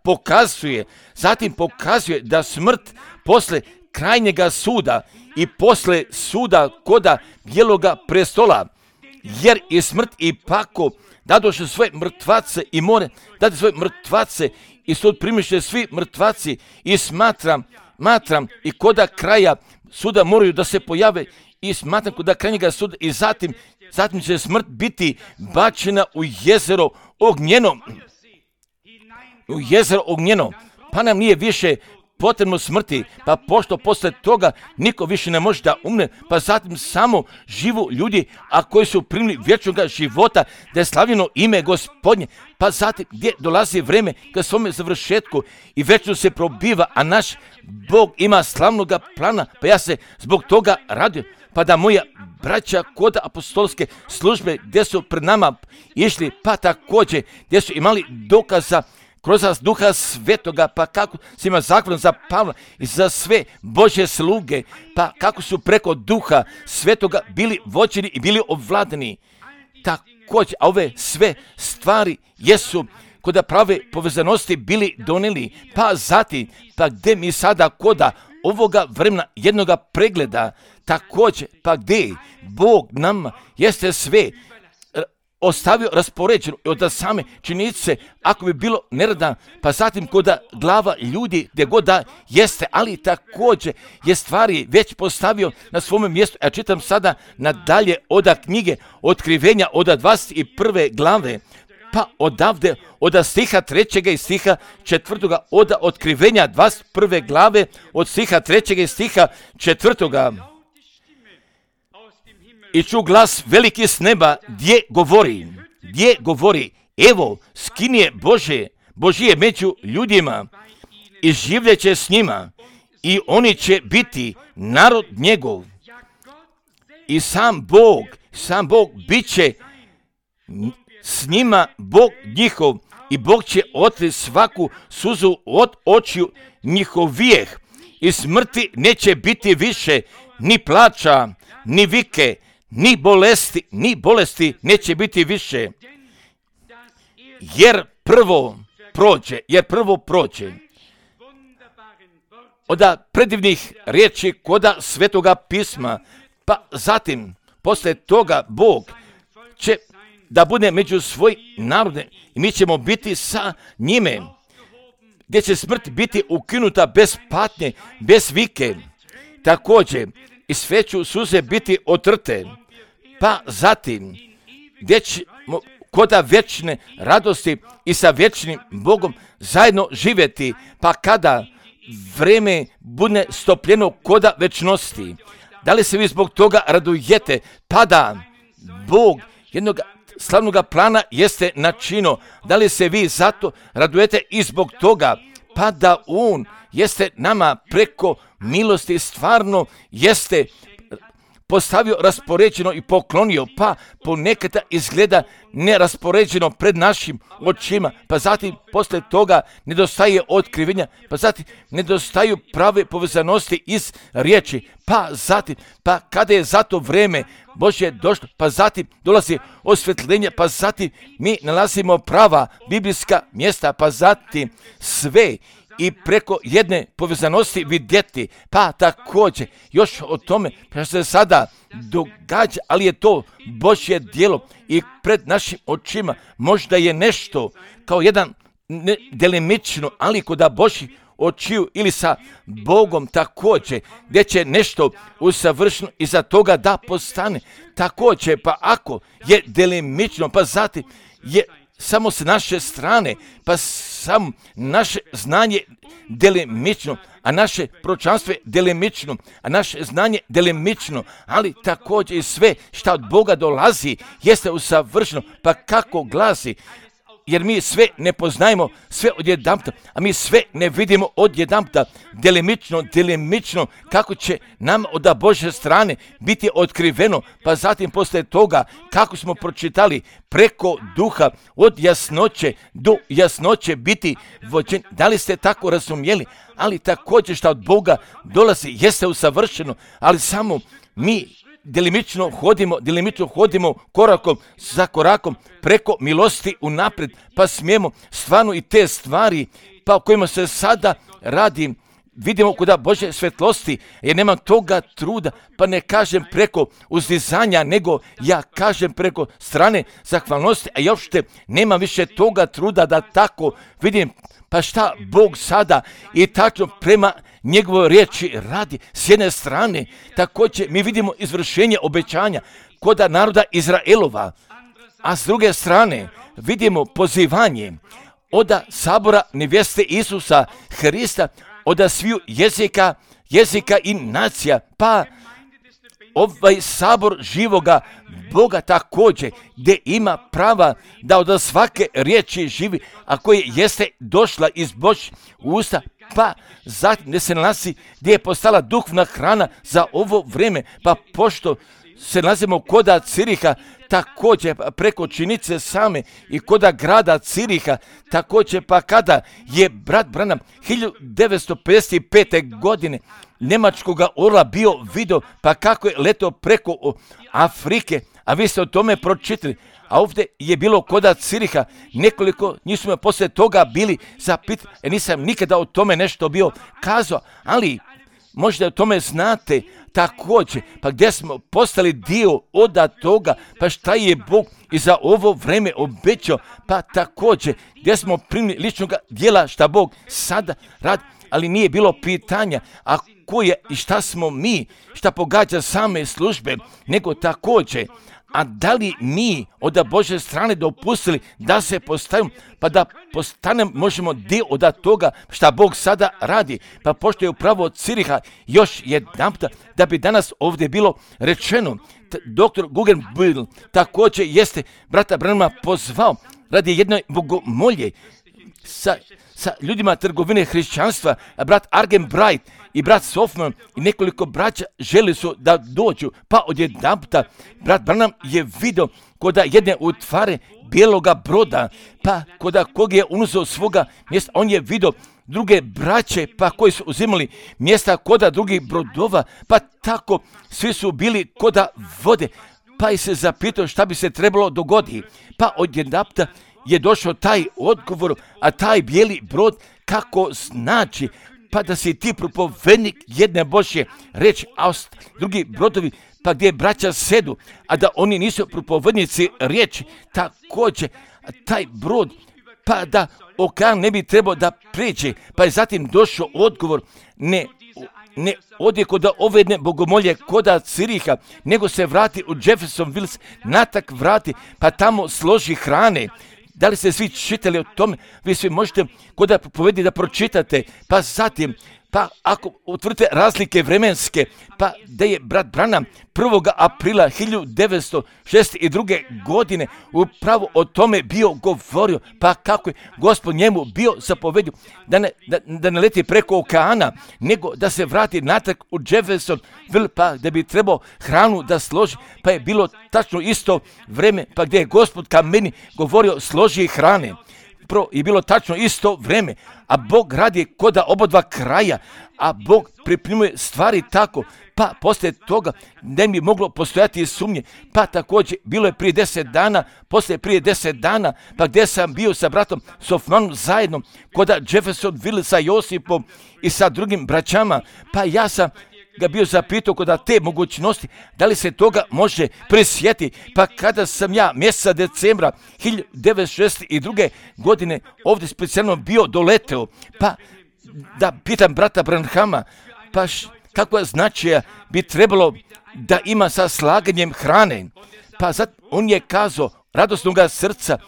zatim pokazuje da smrt posle krajnjega suda i posle suda koda bijeloga prestola, jer i smrt i pako dadoše svoje mrtvace i more dati svoje mrtvace i sud primiše svi mrtvaci, i smatram i koda kraja suda moraju da se pojave, i smatram koda krajnjega suda, i zatim će smrt biti bačena u jezero ognjeno. Pa nam nije više potrebno smrti, pa pošto posle toga niko više ne može da umre, pa zatim samo živu ljudi, a koji su primili vječnog života, da je slavljeno ime Gospodnje, pa zatim gdje dolazi vreme ka svome završetku i večno se probiva, a naš Bog ima slavnog plana, pa ja se zbog toga radim, pa da moja braća kod apostolske službe gdje su pred nama išli, pa također gdje su imali dokaza kroz Duha Svetoga, pa kako se ima zahvalan za Pavla i za sve Božje sluge, pa kako su preko Duha Svetoga bili vođeni i bili ovladani. Također, a ove sve stvari jesu kod prave povezanosti bili donijeli, pa zatim, pa gdje mi sada koda ovoga vremena jednoga pregleda, također, pa gdje Bog nama jeste sve ostavio raspoređeno od same činjenice, ako bi bilo nerada, pa zatim kod glava ljudi gdje god da jeste, ali također je stvari već postavio na svome mjestu. Ja čitam sada nadalje od knjige Otkrivenja od 21. glave, pa odavde od stiha 3. i stiha 4. od Otkrivenja 21. glave od stiha 3. i stiha 4. I ču glas veliki s neba gdje govori, evo, skinje Božije među ljudima i življeće s njima i oni će biti narod njegov. I sam Bog bit će s njima Bog njihov i Bog će otri svaku suzu od očiju njihovijeh i smrti neće biti više, ni plača, ni vike, ni bolesti neće biti više, jer prvo prođe. Od predivnih riječi koda Svetoga pisma, pa zatim, posle toga Bog će da bude među svoj narode i mi ćemo biti sa njime, gdje će smrt biti ukinuta bez patnje, bez vike, također i sve će suze biti otrte, pa zatim gdje ćemo koda vječne radosti i sa vječnim Bogom zajedno živjeti, pa kada vreme bude stopljeno koda večnosti. Da li se vi zbog toga radujete, pa da Bog jednog slavnog plana jeste načino? Da li se vi zato radujete i zbog toga, pa da On jeste nama preko milosti stvarno jeste postavio raspoređeno i poklonio, pa ponekad izgleda neraspoređeno pred našim očima, pa zatim posle toga nedostaje otkrivenja, pa zatim nedostaju prave povezanosti iz riječi, pa zatim, pa kada je zato vreme Božje došlo, pa zatim dolazi osvjetljenje, pa zatim mi nalazimo prava biblijska mjesta, pa zatim sve i preko jedne povezanosti vidjeti, pa također još o tome što se sada događa, ali je to Božje djelo i pred našim očima možda je nešto kao jedan delimično, ali kod Božjih očiju ili sa Bogom također, gdje će nešto usavršeno iza toga da postane također, pa ako je delimično, pa zatim je samo s naše strane, pa samo naše znanje delimično, a naše proročanstvo je delimično, a naše znanje delimično, ali također i sve što od Boga dolazi jeste usavršeno, pa kako glasi, jer mi sve ne poznajemo sve odjedanputa, a mi sve ne vidimo odjedanputa, delimično, kako će nam od Božje strane biti otkriveno, pa zatim posle toga kako smo pročitali preko duha od jasnoće do jasnoće biti vođeni. Da li ste tako razumjeli? Ali također što od Boga dolazi jeste usavršeno, ali samo mi delimično hodimo korakom za korakom preko milosti unaprijed, pa smijemo stvarno i te stvari pa o kojima se sada radi vidimo kuda Božje svetlosti, jer nema toga truda, pa ne kažem preko uzdizanja, nego ja kažem preko strane zahvalnosti, a još nema više toga truda da tako vidim, pa šta Bog sada i tačno prema njegovoj riječi radi. S jedne strane, također mi vidimo izvršenje obećanja kod naroda Izraelova, a s druge strane vidimo pozivanje od sabora nevjeste Isusa Hrista od sviju jezika i nacija, pa ovaj sabor živoga Boga također, gdje ima prava da od svake riječi živi, a koje jeste došla iz Božjih usta, pa zatim gdje se nalazi, gdje je postala duhovna hrana za ovo vrijeme, pa pošto se nalazimo koda Ciriha, također preko činice same i koda grada Ciriha, također pa kada je brat Branham 1955. godine njemačkoga orla bio vidio, pa kako je letao preko Afrike, a vi ste o tome pročitali, a ovdje je bilo koda Ciriha, nekoliko njih su me poslije toga bili zapitali, nisam nikada o tome nešto bio kazao, ali možda o tome znate također, pa gdje smo postali dio od toga, pa šta je Bog i za ovo vreme obećao, pa također gdje smo primili ličnog dijela šta Bog sada radi, ali nije bilo pitanja, a ko je i šta smo mi, šta pogađa same službe, nego također, a da li mi od Božje strane dopustili da se postavimo, pa da postanemo, možemo dio od toga šta Bog sada radi, pa pošto je upravo Ciriha još jedanputa, da bi danas ovdje bilo rečeno, dr. Guggenbühl također jeste brata Branhama pozvao radi jedne bogomolje sa ljudima trgovine hrišćanstva, brat Argenbright i brat Sofman i nekoliko braća želi su da dođu, pa odjedanputa brat Branham je vidio koda jedne utvare bijeloga broda, pa koda kog je unuzeo svoga mjesta, on je vidio druge braće, pa koji su uzimali mjesta koda drugih brodova, pa tako svi su bili koda vode, pa je se zapitao šta bi se trebalo dogoditi, pa odjedanputa je došao taj odgovor, a taj bijeli brod kako znači, pa da si ti propovednik jedne Božje reći, a drugi brodovi, pa gdje braća sedu, a da oni nisu propovednici riječi, također taj brod, pa da okean ne bi trebao da prijeđe, pa je zatim došao odgovor, ne odje kod ove jedne bogomolje koda Ciriha, nego se vrati u Jeffersonville, natak vrati, pa tamo složi hrane. Da li ste svi čitali o tome? Vi svi možete koda propovedi da pročitate, pa zatim, pa ako utvrdite razlike vremenske, pa da je brat Branham 1. aprila 1962. godine upravo o tome bio govorio, pa kako je Gospod njemu bio zapovedio da ne leti preko okeana, nego da se vrati natrag u Jeffersonville, pa da bi trebao hranu da složi, pa je bilo tačno isto vreme, pa gdje je Gospod ka meni govorio složi hrane. I bilo tačno isto vreme, a Bog radi koda obodva kraja, a Bog pripremuje stvari tako, pa poslije toga ne bi moglo postojati sumnje, pa također bilo je prije 10 dana, poslije prije 10 dana, pa gdje sam bio sa bratom Sofmanom zajedno, koda Jeffersonville sa Josipom i sa drugim braćama, pa ja sam ga bio zapitao kod te mogućnosti, da li se toga može prisjetiti, pa kada sam ja mjeseca decembra 1962. godine ovdje specijalno bio doleteo, pa da pitam brata Branhama, pa kakva značaja bi trebalo da ima sa slaganjem hrane, pa zato on je kazao radosnoga srca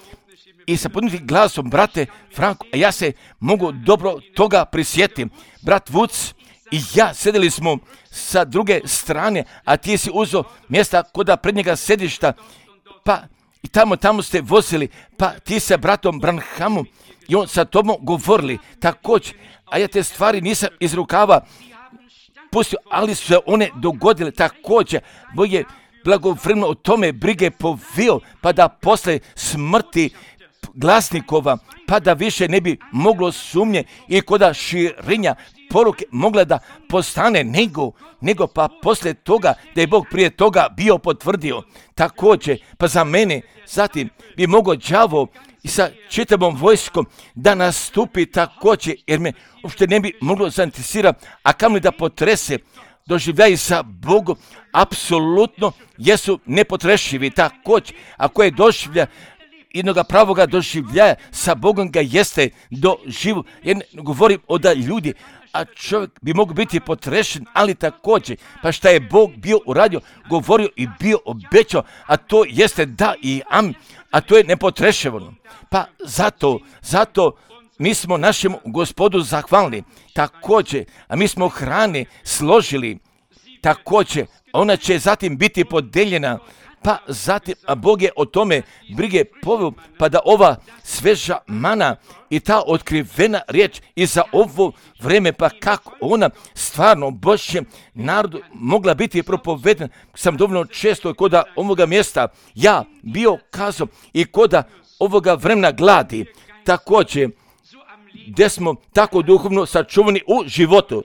i sa podnijetim glasom, brate Franko, a ja se mogu dobro toga prisjetiti, brat Vuc i ja sedeli smo sa druge strane, a ti si uzeo mjesta koda prednjega sedišta, pa i tamo ste vozili, pa ti sa bratom Branhamom i on sa tobom govorili također, a ja te stvari nisam iz rukava pustio, ali su se one dogodile također, Bog je blagovremeno o tome brige povio, pa da posle smrti glasnikova, pa da više ne bi moglo sumnje i koda širenja poruke mogla da postane nego pa poslije toga da je Bog prije toga bio potvrdio također, pa za mene zatim bi mogao đavo i sa čitavom vojskom da nastupi također, jer me uopšte ne bi moglo zainteresirati, a kamoli da potrese. Doživljaji sa Bogom apsolutno jesu nepotrešivi također, ako je doživlja jednoga pravoga doživljaja sa Bogom ga jeste doživu. Ja ne govorim o da ljudi, a čovjek bi mogao biti potrešen, ali također, pa šta je Bog bio uradio, govorio i bio obećao, a to jeste da i amin, a to je nepotrešivo. Pa zato mi smo našem Gospodu zahvalni. Također, a mi smo hrane složili. Također, ona će zatim biti podeljena. Pa zatim, a Bog je o tome brige poveo, pa da ova sveža mana i ta otkrivena riječ i za ovo vreme, pa kako ona stvarno Božjem narodu mogla biti propovedena. Sam dovoljno često kod ovoga mjesta ja bio kazao i kod ovoga vremena gladi. Također, gdje smo tako duhovno sačuvani u životu.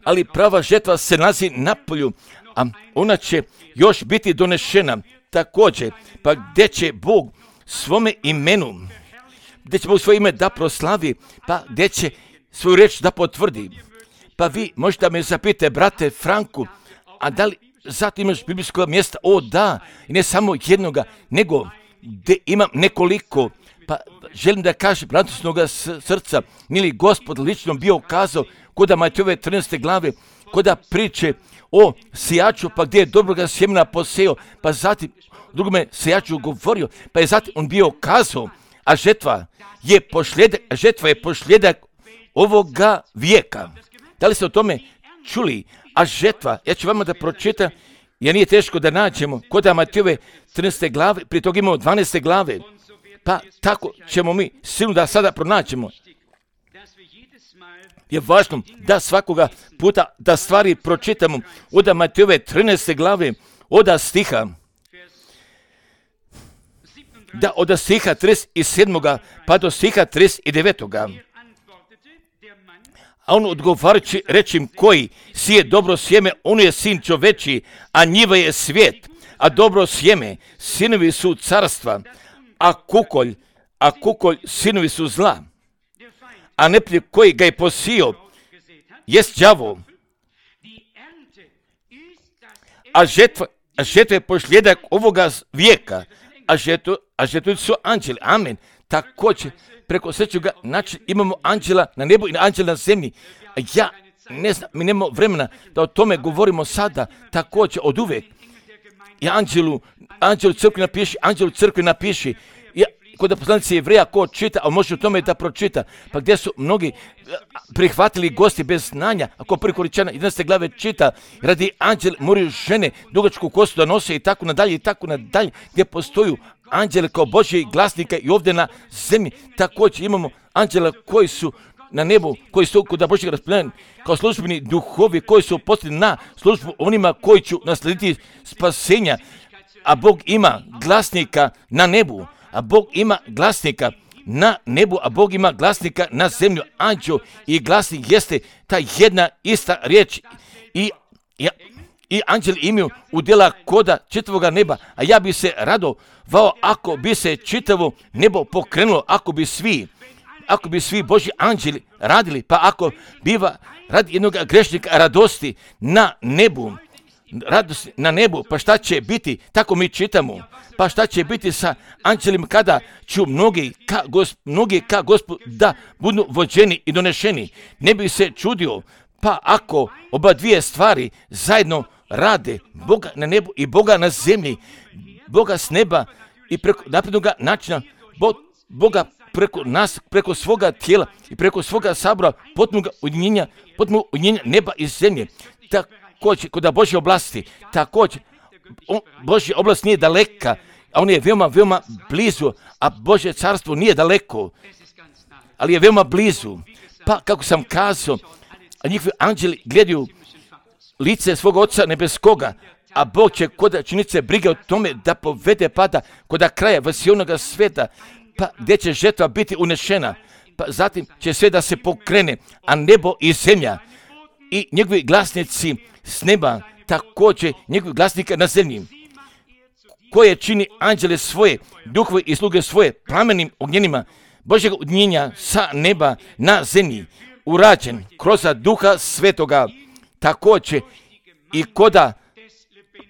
Ali prava žetva se nalazi na polju, a ona će još biti donešena. Također, pa gdje će Bog svome imenu, gdje će Bog svoje ime da proslavi, pa gdje će svoju riječ da potvrdi. Pa vi možete me zapite, brate Franku, a da li zato imaš biblijskog mjesta? O da, i ne samo jednoga, nego gdje imam nekoliko. Pa želim da kažem radosnoga srca, mili Gospod lično bio kazao kod Matejove 13. glave, kod priče o sijaču, pa gdje je dobroga sjemena poseo, pa zatim drugome sijaču govorio, pa je zatim on bio kazao, a žetva je pošljedak ovoga vijeka. Da li ste o tome čuli? A žetva, ja ću vama da pročitam, jer nije teško da nađemo kod Matejove 13. glave, prije toga imamo 12. glave, pa tako ćemo mi sigurno da sada pronaćemo. Je važno da svakoga puta da stvari pročitamo od Matejove 13. glave, od stiha 37. pa do stiha 39. A on odgovarajući reći im, koji sije dobro sjeme, on je sin čoveči, a njiva je svijet, a dobro sjeme, sinovi su carstva, a kukolj sinovi su zla. A neprijatelj koji ga je posio jest đavo, a žetva je pošljedak ovoga vijeka, a žetva su anđeli. Amen. Također, preko srećoga načina imamo anđela na nebu i anđela na zemlji. Ja ne znam, mi nemamo vremena da o tome govorimo sada, također od uvijek. I anđelu crkvi napiši, kod poslanice Jevreja ko čita, a može u tome da pročita, pa gdje su mnogi prihvatili gosti bez znanja, ako prvi Korinčana 11. glave čita, radi anđeli moraju žene dugačku kosu da nose i tako nadalje, gdje postoju anđele kao Božji glasnika i ovdje na zemlji. Također imamo anđela koji su na nebu, koji su kod Božjeg rasplemenja kao službeni duhovi, koji su posljedni na službu onima koji će naslediti spasenja, a Bog ima glasnika na nebu. A Bog ima glasnika na nebu, a Bog ima glasnika na zemlju. Anđeo i glasnik jeste ta jedna ista riječ. I anđeli imaju udjela koda čitavoga neba, a ja bi se radovao ako bi se čitavo nebo pokrenulo, ako bi svi Božji anđeli radili, pa ako biva radi jednog grešnika radosti na nebu, radost na nebu, pa šta će biti, tako mi čitamo, pa šta će biti sa anđelima kada ću mnogi ka Gospodu da budu vođeni i donešeni. Ne bi se čudio, pa ako oba dvije stvari zajedno rade, Boga na nebu i Boga na zemlji, Boga s neba i preko naprednog načina, Boga preko nas, preko svoga tijela i preko svoga sabora, potpunog ujedinjenja neba i zemlje. Također, kod Božje oblasti, također, Božja oblast nije daleka, a on je veoma blizu, a Božje carstvo nije daleko, ali je veoma blizu. Pa, kako sam kazao, a njihovi anđeli gledaju lice svog Oca nebeskoga, a Bog će kod činice brige o tome da povede pada kod kraja vasionoga sveta, pa gdje će žetva biti unešena, pa zatim će sve da se pokrene, a nebo i zemlja i njegovi glasnici s neba, također njegovi glasnika na zemlji, koje čini anđele svoje, duhove i sluge svoje plamenim ognjenima Božjeg ujedinjenja sa neba na zemlji, urađen kroz Duha Svetoga, također i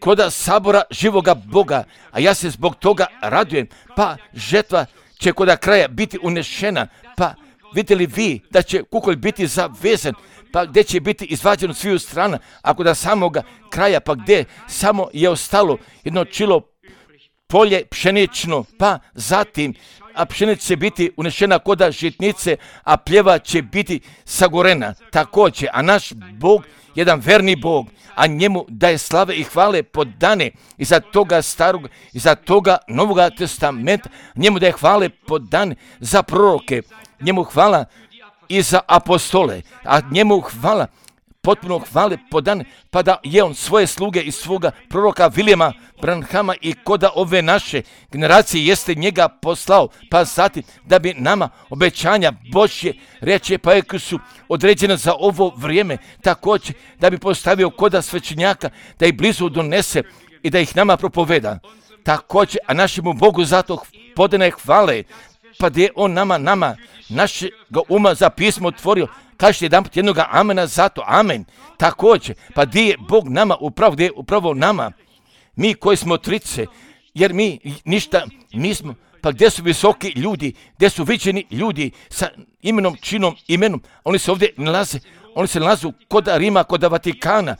koda sabora živoga Boga, a ja se zbog toga radujem, pa žetva će koda kraja biti unešena, pa vidite li vi da će kukolj biti zavezan, pa gdje će biti izvađen od sviju strana, ako da samoga kraja, pa gdje samo je ostalo jedno čilo polje pšenično, pa zatim a pšenica će biti unešena koda žitnice, a pljeva će biti sagorena. Također, a naš Bog, jedan verni Bog, a njemu daje slave i hvale podane iza toga starog, iza toga Novoga testamenta, njemu daje hvale podane za proroke, njemu hvala i za apostole, a njemu hvala, potpuno hvale podane, pa da je on svoje sluge i svoga proroka Vilijama Branhama i koda ove naše generacije jeste njega poslao, pa zatim da bi nama obećanja Božje reče pa su određene za ovo vrijeme, također da bi postavio koda svećenjaka, da ih blizu donese i da ih nama propoveda. Također, a našemu Bogu zato podane hvale, pa gdje je on nama našega uma za pismo otvorio, kažete jedanput jednoga amena zato, amen. Također, pa gdje je Bog nama upravo, gdje je upravo nama, mi koji smo trice, jer mi ništa nismo, pa gdje su visoki ljudi, gdje su viđeni ljudi sa imenom, činom, imenom, oni se ovdje nalaze, oni se nalazu koda Rima, koda Vatikana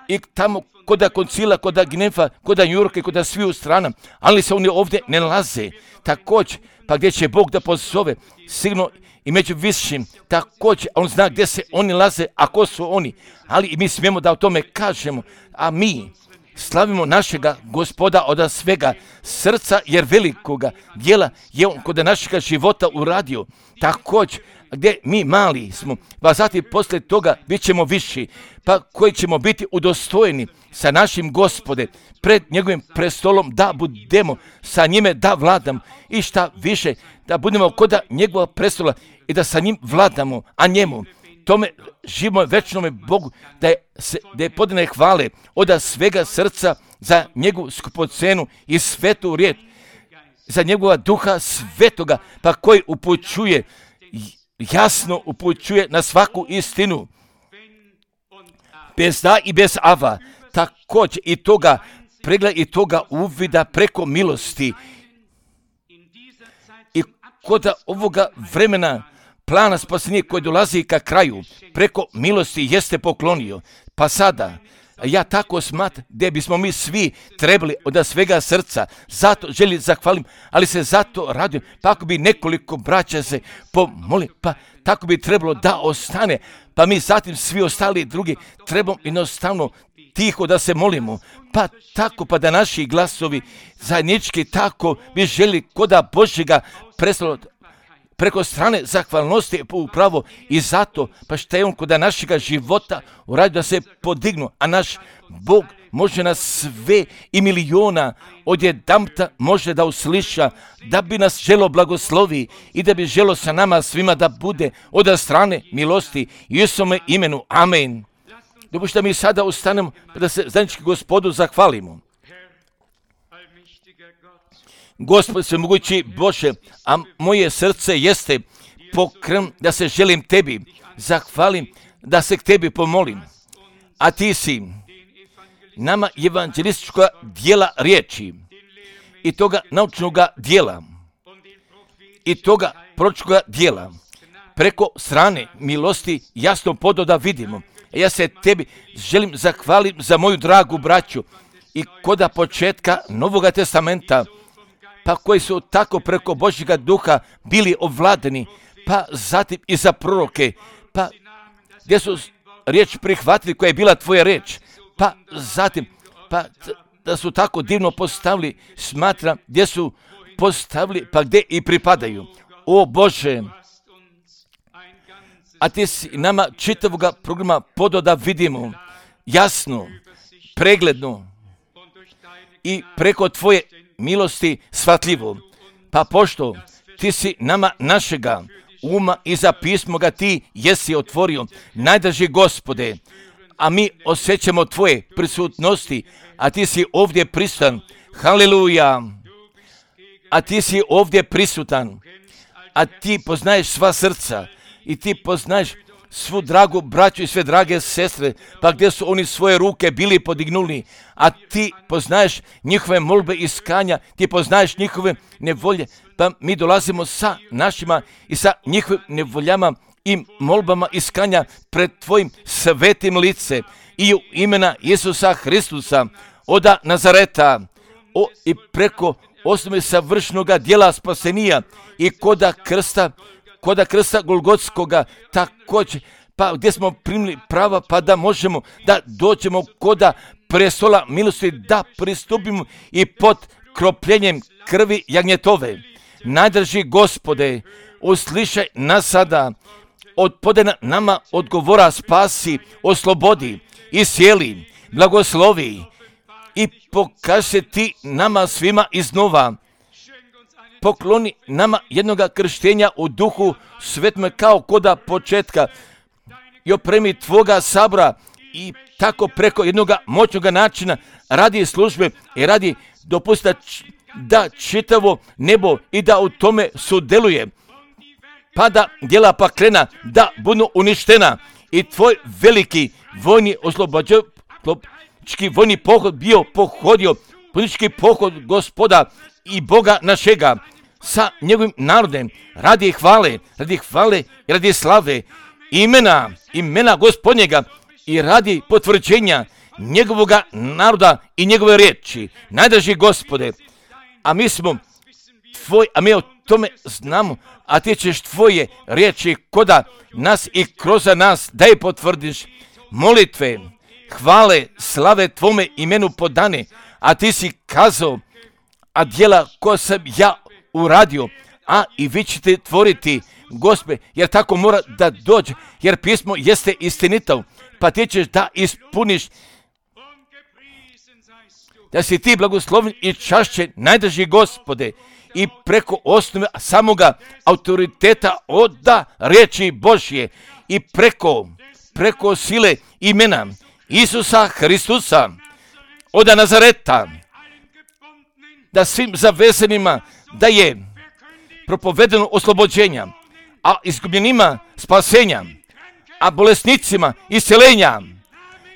i tamo koda koncila, koda Gineva, koda New Yorka i koda sviju strana, ali se oni ovdje ne nalaze. Također, pa gdje će Bog da pozove, sigurno i među višim, također, on zna gdje se oni nalaze, a ko su oni, ali i mi smijemo da o tome kažemo, a mi slavimo našega Gospoda od svega srca, jer velikoga djela je on kod našega života uradio. Također, gdje mi mali smo, pa zatim poslije toga bit ćemo viši, pa koji ćemo biti udostojeni sa našim Gospode, pred njegovim prestolom da budemo, sa njime da vladamo i šta više, da budemo kod njegova prestola i da sa njim vladamo, a njemu, tome živome večnome Bogu, da je podane hvale od svega srca za njegovu skupocenu i svetu riječ, za njegova duha svetoga, pa koji upućuje, jasno upućuje na svaku istinu, bez da i bez ava, također i toga pregleda i toga uvida preko milosti. I kod ovoga vremena plana spasenja koji dolazi ka kraju, preko milosti jeste poklonio. Pa sada, ja tako smatram da bismo mi svi trebali od svega srca, zato želim zahvalim, ali se zato radujem, pa ako bi nekoliko braća se pomoli, pa tako bi trebalo da ostane, pa mi zatim svi ostali drugi trebamo jednostavno tiho da se molimo, pa tako pa da naši glasovi zajednički tako bi želi koda Božjega prestola preko strane zahvalnosti upravo i zato pa što je on kod našega života uradio da se podignu, a naš Bog može nas sve i miliona odjedanputa može da usliša, da bi nas želo blagoslovi i da bi želo sa nama svima da bude od strane milosti u Isusovome imenu. Amen. Dopušta mi sada ustanemo da se zajednički Gospodu zahvalimo. Gospod svemogući Bože, a moje srce jeste pokren da se želim tebi, zahvalim, da se k tebi pomolim. A ti si nama evanđelistička dijela riječi i toga naučnoga dijela i toga proročkoga dijela preko strane milosti jasno podao da vidimo. Ja se tebi želim zahvalim za moju dragu braću i koda početka Novoga testamenta, pa koji su tako preko Božjega duha bili ovladani, pa zatim i za proroke, pa gdje su riječ prihvatili koja je bila tvoja riječ, pa zatim, pa da su tako divno postavili, smatram gdje su postavili, pa gdje i pripadaju. O Bože, a ti si nama čitavoga programa podao da vidimo jasno, pregledno i preko tvoje milosti shvatljivo. Pa pošto ti si nama našega uma i za pismo ga ti jesi otvorio, najdraži Gospode, a mi osjećamo tvoje prisutnosti, a ti si ovdje prisutan. Haleluja! A ti si ovdje prisutan, a ti poznaješ sva srca i ti poznaješ svu dragu braću i sve drage sestre, pa gdje su oni svoje ruke bili podignuli, a ti poznaješ njihove molbe i iskanja, ti poznaješ njihove nevolje, pa mi dolazimo sa našima i sa njihovim nevoljama i molbama iskanja pred tvojim svetim lice i u imena Isusa Hristusa, oda Nazareta, i preko osnove savršenoga djela spasenija i koda krsta Golgotskoga također, pa gdje smo primili prava, pa da možemo da dođemo koda prestola milosti, da pristupimo i pod kropljenjem krvi jagnjetove. Najdraži Gospode, uslišaj nas sada, podaj nama odgovora, spasi, oslobodi, iscijeli, blagoslovi i pokaži se ti nama svima iznova. Pokloni nama jednoga krštenja u duhu svetome kao koda početka i opremi tvoga sabora i tako preko jednoga moćnoga načina radi službe i radi dopusta da čitavo nebo i da u tome sudjeluje, pa da djela paklena da budu uništena i tvoj veliki vojni oslobođački vojni pohod bio pohodio, politički pohod Gospoda i Boga našega sa njegovim narodem radi hvale i radi slave imena Gospodnjega i radi potvrđenja njegovoga naroda i njegove riječi. Najdraži Gospode, a mi o tome znamo, a ti ćeš tvoje riječi koda nas i kroz nas da je potvrdiš. Molitve, hvale, slave tvome imenu podane, a ti si kazao, a djela koja sam ja uradio, a i vi ćete tvoriti, Gospe, jer tako mora da dođe, jer pismo jeste istinito, pa ti ćeš da ispuniš, da si ti blagosloven i čašćen, najdraži Gospode, i preko osnove samoga autoriteta oda riječi Božje i preko sile imena Isusa Hristusa oda Nazareta, da svim zavezenima da je propovedeno oslobođenja, a izgubljenima spasenja, a bolesnicima isceljenja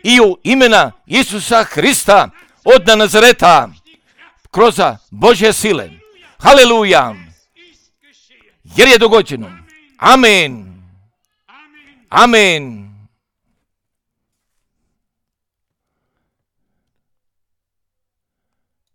i u imena Isusa Hrista od Nazareta kroz Božje sile. Haleluja! Jer je dogođeno. Amen. Amen.